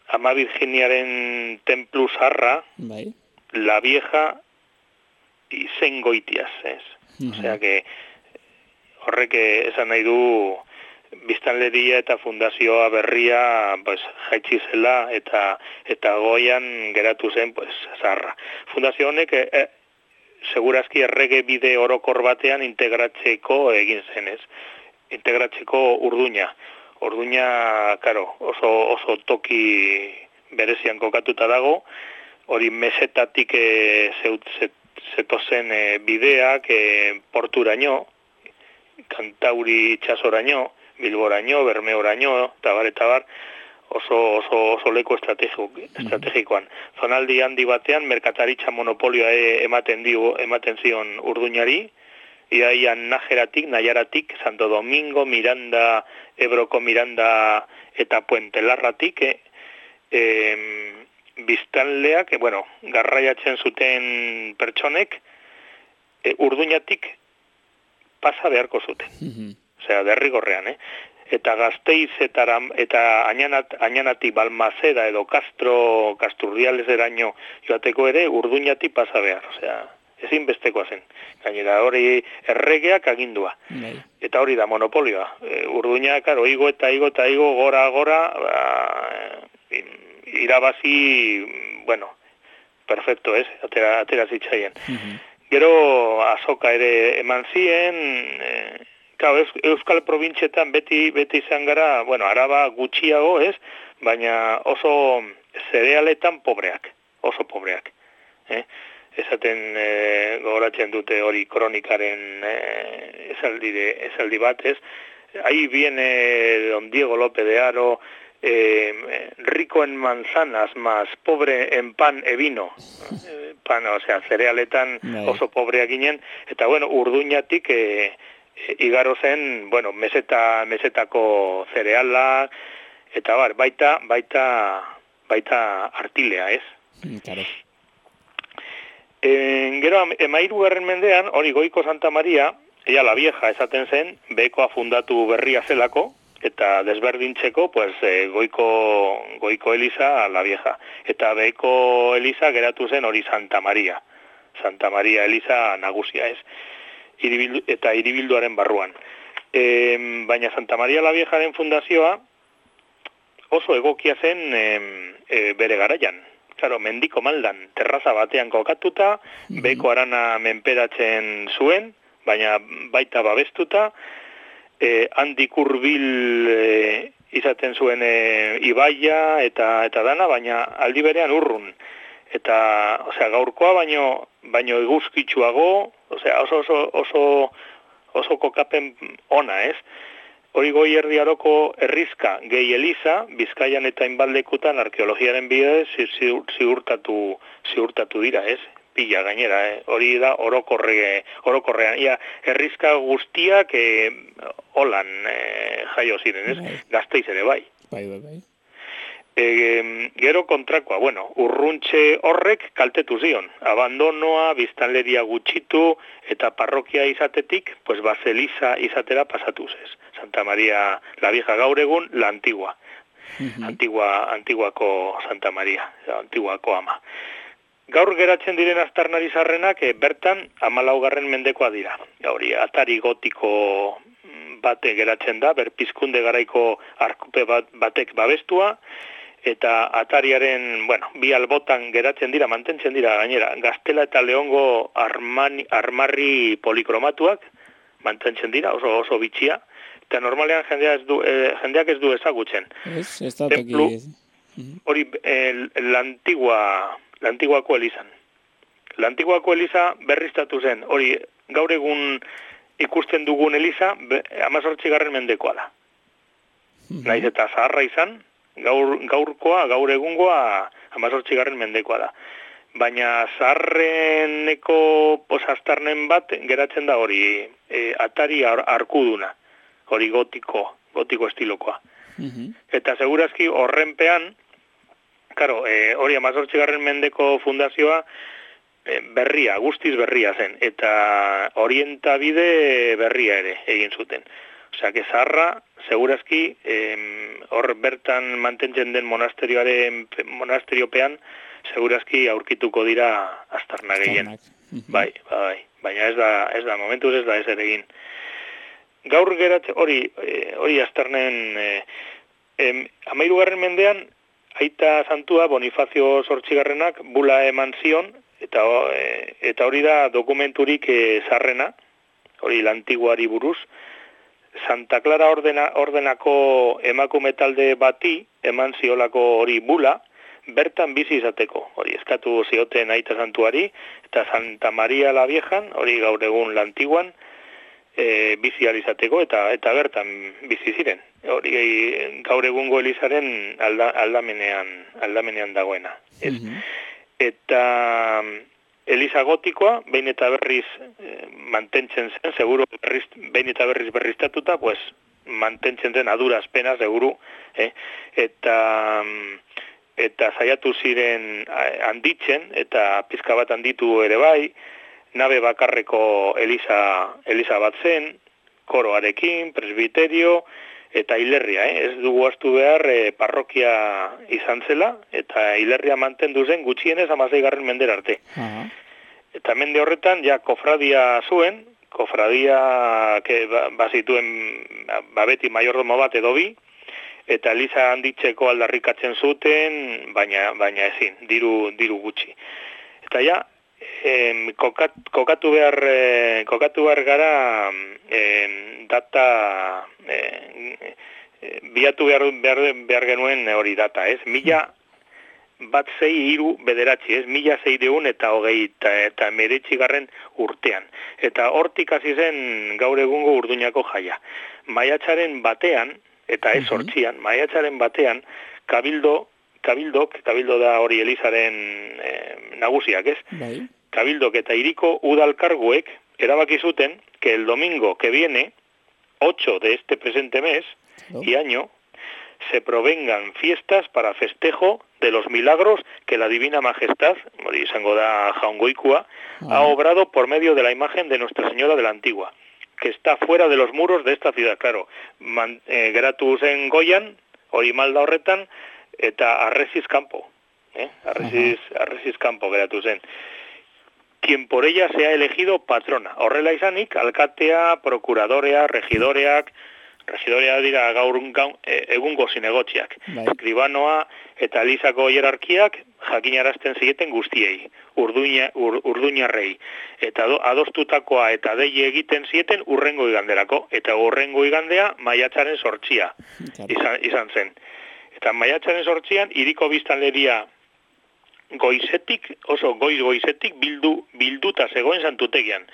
Ama Virginiaren templu zarra, la vieja izen goitiaz, ez? Osea, que horrek esan nahi du biztanleria eta fundazioa berria jaitsi zela eta goian geratu zen zarra. Fundazio honek segurazki errege bide orokor batean integratzeko egin zenez. Integratzeko Urduña. Urduña, karo, oso toki berezian kokatuta dago, hori mesetatik zetozen bideak porturaino, Kantauri itxasoraino, Bilboraino, Bermeoraino, eta bar, oso leku estrategikoan. Zonaldi handi batean, merkataritza monopolioa ematen zion Urduñari, iaian Nayaratik, Santo Domingo, Miranda, Ebroko Miranda eta Puente Larratik, biztanleak, garraiatzen zuten pertsonek, Urduñatik pasa beharko zuten. Osea, derrigorrean, Eta Gasteiz eta Añanatik Balmazeda edo Kasturdiales eraino joateko ere Urduñatik pasa behar, osea, ezin bestekoa zen. Gainera, hori erregeak agindua. Eta hori da monopolioa. Urduña, karo, igo, gora, irabazi, perfecto, ez? Atera zitzaien. Gero, azoka ere eman zien, Euskal Probintxetan beti izan gara, Araba gutxiago, ez? Baina oso zerealetan oso pobreak. Esaten gogoratzen dute hori kronikaren esaldi bat, ez? Ahí viene don Diego López de Haro, rico en manzanas, más pobre en pan e vino. Pan, osea, zerealetan oso pobreak ginen, eta Urduñatik igaro zen, mesetako zereala, eta baita artilea, ez? Claro. Gero, 13. mendean, hori Goiko Santa Maria, ella la vieja esaten zen, bekoa fundatu berria zelako, eta desberdintzeko, Goiko Eliza la vieja. Eta beko Eliza geratu zen hori Santa Maria. Santa Maria Eliza nagusia, ez? Eta hiribilduaren barruan. Baina Santa Maria la Viejaren fundazioa oso egokia zen bere garaian. Claro, mendiko maldan, terraza batean kokatuta, beko arana menperatzen zuen, baina baita babestuta, handik hurbil izaten zuen ibaia eta dana, baina aldi berean urrun. Eta, gaurkoa baino eguzkitsuago, oso kokapen ona, ez? Hori Goi Erdi Aroko herrizka gehi Eliza, Bizkaian eta hainbat arkeologiaren bidez ziurtatu dira, ez? Pila gainera, hori da orokorrean. Ia, herrizka guztiak holan jaio ziren, ez? Gasteiz ere bai. Bai. Gero kontrakoa, urruntxe horrek kaltetu zion. Abandonoa, biztanleria gutxitu eta parrokia izatetik, pues Baseliza izatera pasatuz ez. Santa Maria la Vieja gaur egun, la Antigua. Antiguako Santa Maria, Antiguako ama. Gaur geratzen diren aztarnari zarrenak bertan 14. mendekoa dira. Hori atari gotiko bate geratzen da, berpizkunde garaiko arkupe batek babestua, eta atariaren, bi albotan geratzen dira, mantentzen dira gainera, Gaztela eta Leongo armarri polikromatuak, mantentzen dira, oso bitxia, eta normalean jendeak ez du ezagutzen. Ez da toki. Hori, la Antiguako Elizan. La Antiguako Eliza berriztatu zen, hori gaur egun ikusten dugun Eliza 18. mendekoa da. Naiz eta zaharra izan, gaur egungoa 18. mendekoa da. Baina zaharreneko posaztarnen bat geratzen da hori atari arkuduna, hori gotiko estilokoa. Eta segurazki horrenpean, hori 18. mendeko fundazioa berria, guztiz berria zen, eta orientabide berria ere egin zuten. Osea, que zaharra, segurazki, hor bertan mantentzen den monasteriopean, segurazki aurkituko dira aztarna gehien. Bai. Baina ez da, momentuz ez da ez ere egin. Gaur geratzen, hori aztarnen, 13. mendean, aita santua Bonifacio Zortzigarrenak bula eman zion, eta hori da dokumenturik zarrena, hori la Antiguari buruz, Santa Clara ordenako emakume talde bati eman ziolako hori bula, bertan bizi izateko. Hori eskatu zioten aita santuari, eta Santa Maria la Viejan, hori gaur egun la Antiguan, bizi izateko eta bertan bizi ziren. Hori gaur egungo Elizaren aldamenean dagoena. Eta Eliza gotikoa, behin eta berriz mantentzen zen, seguro behin eta berriz berriztatuta, pues mantentzen zen aduraz pena, seguro, eta saiatu ziren handitzen, eta pizka bat handitu ere bai, nabe bakarreko Eliza bat zen, koroarekin, presbiterio, eta hilerria, ez dugu astu behar parrokia izan zela, eta hilerria mantendu zen gutxienez 16. mendera arte. Eta mende horretan, kofradia zuen, bazituen beti maiordomo bat edo bi, eta Eliza handitzeko aldarrikatzen zuten, baina ezin, diru gutxi. Eta kokatu behar gara data biatu behar genuen hori data, ez? 1603, ez? 1600 eta 19 urtean. Eta hortik hasi zen gaur egungo Urduñako jaia. Maiatzaren batean, eta ez hortzian, maiatzaren batean, Kabildo da hori Elizaren nagusiak, ez? Bai. Kabildok eta hiriko udalkarguek erabaki zuten que el domingo que viene, 8 de este presente mes y año, se provengan fiestas para festejo de los milagros que la Divina Majestad, hori izango da Jaungoikua, ha obrado por medio de la imagen de Nuestra Señora de la Antigua, que está fuera de los muros de esta ciudad. Claro, geratu zen Goian, hori malda horretan, eta arresiz kanpo geratu zen. quien por ella sea elegido patrona. Horrela izanik, alkatea, prokuradorea, regidoreak dira gaur egungo zinegotziak. Bai. Eskribanoa eta Elizako hierarkiak jakinarazten zieten guztiei, urduñarrei. Eta adostutakoa eta dei egiten zieten urrengo iganderako. Eta urrengo igandea maiatzaren 8 izan zen. Eta maiatzaren 8 hiriko biztanleria goizetik, oso goizetik bilduta zegoen santutegian.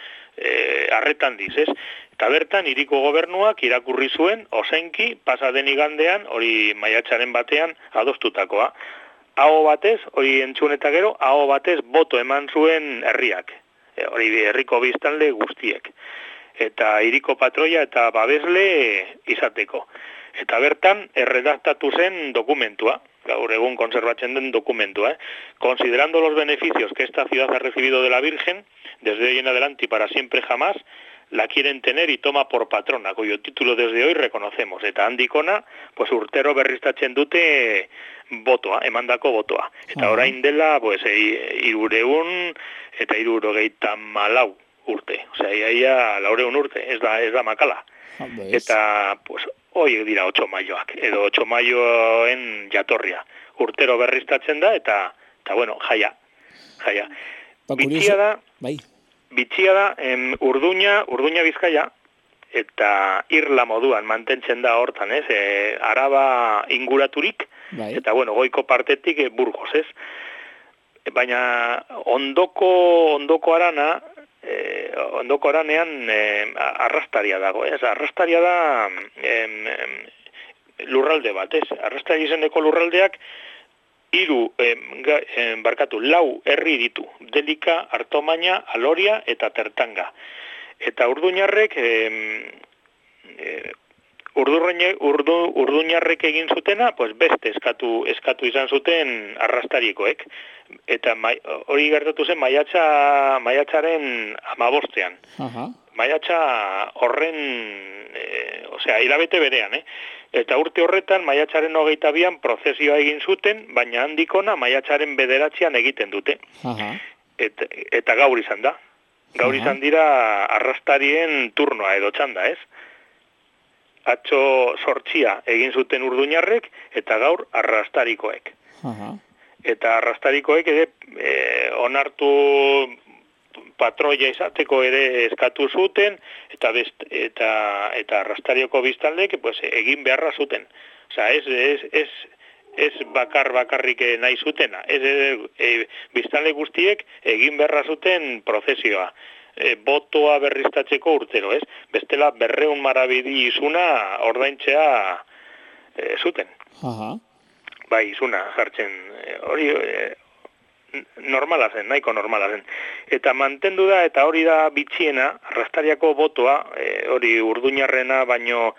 Arretan diz, ez? Eta bertan hiriko gobernuak irakurri zuen ozenki pasaden igandean, hori maiatzaren batean adostutakoa. Aho batez, hori entzun eta gero, aho batez boto eman zuen herriak. Hori herriko biztanle guztiek. Eta hiriko patroia eta babesle izateko. Eta bertan erredaktatu zen dokumentua, gaur egun konservatzen den dokumentua. Considerando los beneficios que esta ciudad ha recibido de la Virgen, desde hoy en adelante y para siempre jamás, la quieren tener y toma por patrona, cuyo título desde hoy reconocemos. Eta handikona, pues urtero berriztatzen dute botoa, emandako botoa. Eta orain dela, pues, 300 eta 394 urte. Osea, iaia 400 urte, ez da makala. Eta, pues, horiek dira 8 maioak, edo 8 maioen jatorria. Urtero berriztatzen da, eta bueno, jaia. Bitxia da, bai. Urduña Bizkaia, eta irla moduan mantentzen da hortan, ez? Araba inguraturik, bai. Eta bueno, goiko partetik Burgos, ez? Baina ondoko arana, ondoko aranean arrastaria dago, ez? Arrastaria da lurralde bat, ez? Arrastari izeneko lurraldeak 4 herri ditu, Delika, Artomaina, Aloria eta Tertanga. Eta urduñarrek urduñarrek egin zutena, pues beste eskatu izan zuten arrastarikoek. Eta hori gertatu zen maiatzaren 15. Maiatza horren, hilabete berean, Eta urte horretan maiatzaren 22an prozesioa egin zuten, baina handikona maiatzaren 9an egiten dute. Eta gaur izan da. Gaur izan dira arrastarien turnoa edo txanda, ez? Atzo 8 egin zuten urduñarrek eta gaur arrastarikoek. Eta arrastarikoek ere onartu patroia izateko ere eskatu zuten eta arrastarioko biztaldek pues egin beharra zuten. Osea, ez bakarrik nahi zutena. Biztanle guztiek egin beharra zuten prozesioa. Botoa berriztatzeko urtero, ez? Bestela 200 marabidi izuna ordaintzea zuten. Bai, izuna jartzen hori normala zen, nahiko normala zen. Eta mantendu da, eta hori da bitxiena, arrastariako botoa, hori urduñarrena baino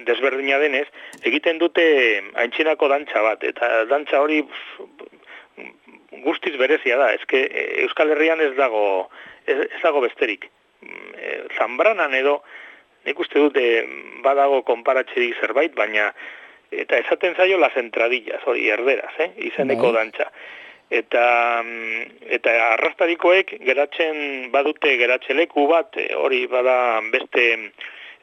desberdina denez, egiten dute aintzinako dantza bat, eta dantza hori guztiz berezia da, Euskal Herrian ez dago besterik. Zambranan edo, nik uste dute badago konparatzerik zerbait, baina eta esaten zaio las entradillas, hori erderaz, izeneko dantza. Eta arrastarikoek geratzen badute geratzeleku bat, hori bada beste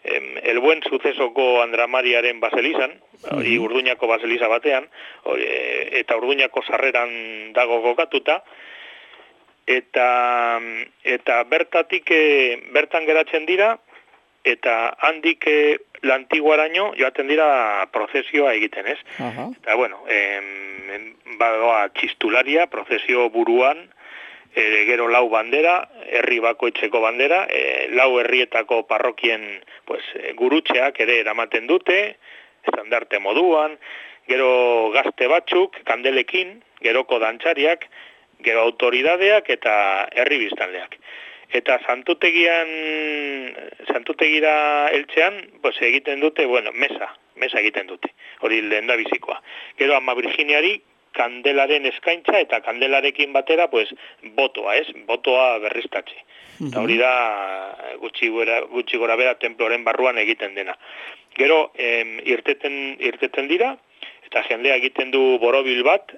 el buen sucesoko Andramariaren baselizan, hori Urduñako baseliza batean, eta Urduñako sarreran dago kokatuta, eta bertan geratzen dira, eta handik lantiguaraino joaten dira prozesioa egiten, ez? Eta bueno, badoa txistularia, prozesio buruan, gero 4 bandera, herri bakoitzeko bandera, 4 herrietako parrokien pues, gurutxeak ere eramaten dute, estandarte moduan, gero gazte batzuk, kandelekin, geroko dantzariak, gero autoridadeak eta herri biztanleak. Eta santutegira eltzean, pues, egiten dute, bueno, mesa egiten dute, hori lehendabizikoa. Gero Ama Virginiari kandelaren eskaintza eta kandelarekin batera, pues, botoa berriztatze. Eta hori da gutxi gora bera temploren barruan egiten dena. Gero, irteten dira, eta jendea egiten du borobil bat,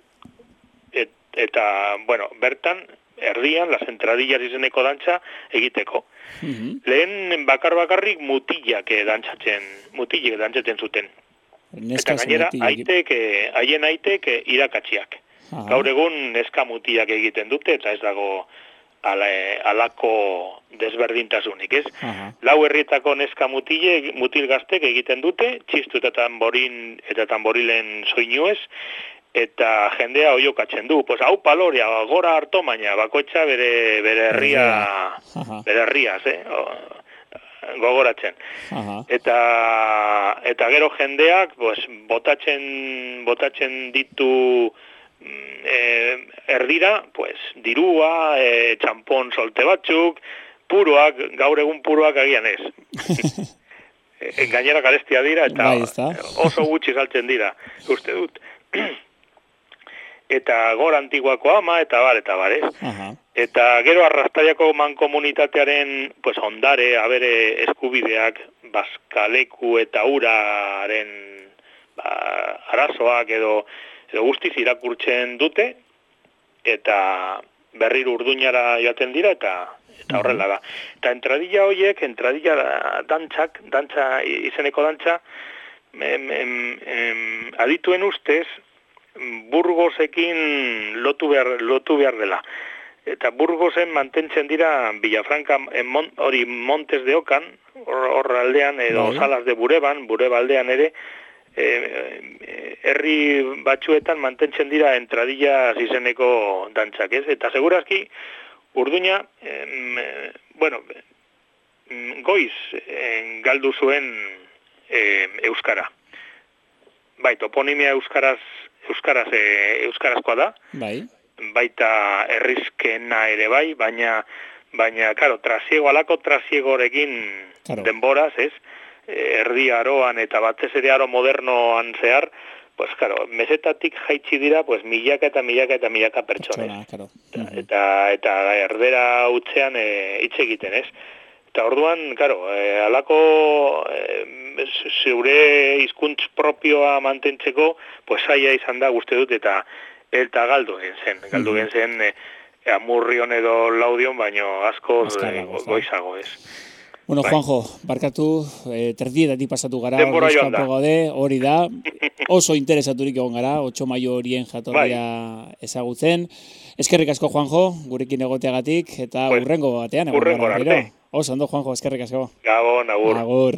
eta, bueno, bertan, erdian, las entradillas izeneko dantza egiteko. Lehen bakarrik mutilak dantzatzen zuten. Eta gainera, haien aitek irakatziak. Gaur egun neska mutilak egiten dute, eta ez dago alako desberdintasunik, ez? Lau herrietako neska mutil gaztek egiten dute, txistu eta tamborilen soinuez, eta jendea oiokatzen du. Pues hau paloria, gora harto, baina bakoitza bere herriaz, gogoratzen. Eta gero jendeak pues, botatzen ditu erdira, pues, dirua, txampon solte batzuk, puroak, gaur egun puroak agian ez. Gainera garestia dira, eta oso gutxi saltzen dira, uste dut. Eta gora antiguako ama, eta bar, ez? Eta gero arrastaiako mankomunitatearen pues, ondare, abere eskubideak, bazkaleku eta uraren arazoak edo guztiz irakurtzen dute, eta berriro Urduñara joaten dira, eta horrela da. Eta entradilla horiek, dantza izeneko dantza, adituen ustez, Burgosekin lotu behar dela. Eta Burgosen mantentzen dira Villafranca, hori Montes de Ocan, hor aldean, edo Salas de Bureba aldean ere, herri batzuetan mantentzen dira entradillas izeneko dantzak, ez? Eta segurazki, Urduña, goiz galdu zuen euskara. Bai, toponimia euskarazkoa da. Bai. Baita herrizkena ere bai, baina claro, alako trasiegorekin denboraz, ez? Erdi aroan eta batez ere aro modernoan zehar, pues claro, mesetatik jaitsi dira, pues milaka pertsona. Eta erdera utzean hitz egiten, ez? Eta orduan, claro, alako zeure hizkuntz propioa mantentzeko, pues zaila izan da guzti dut, eta galdu gen zen Amurrion edo Laudion, baino asko goizago, ez? Bueno, Juanjo, barkatu, terdietatik pasatu gara, hori da, oso interesaturik egon gara, 8 maio horien jatorria ezagutzen. Eskerrik asko, Juanjo, gurekin egoteagatik, eta urrengo batean. Urrengo arte. Oso, ondo, Juanjo, eskerrik asko. Gabon, agur. Agur.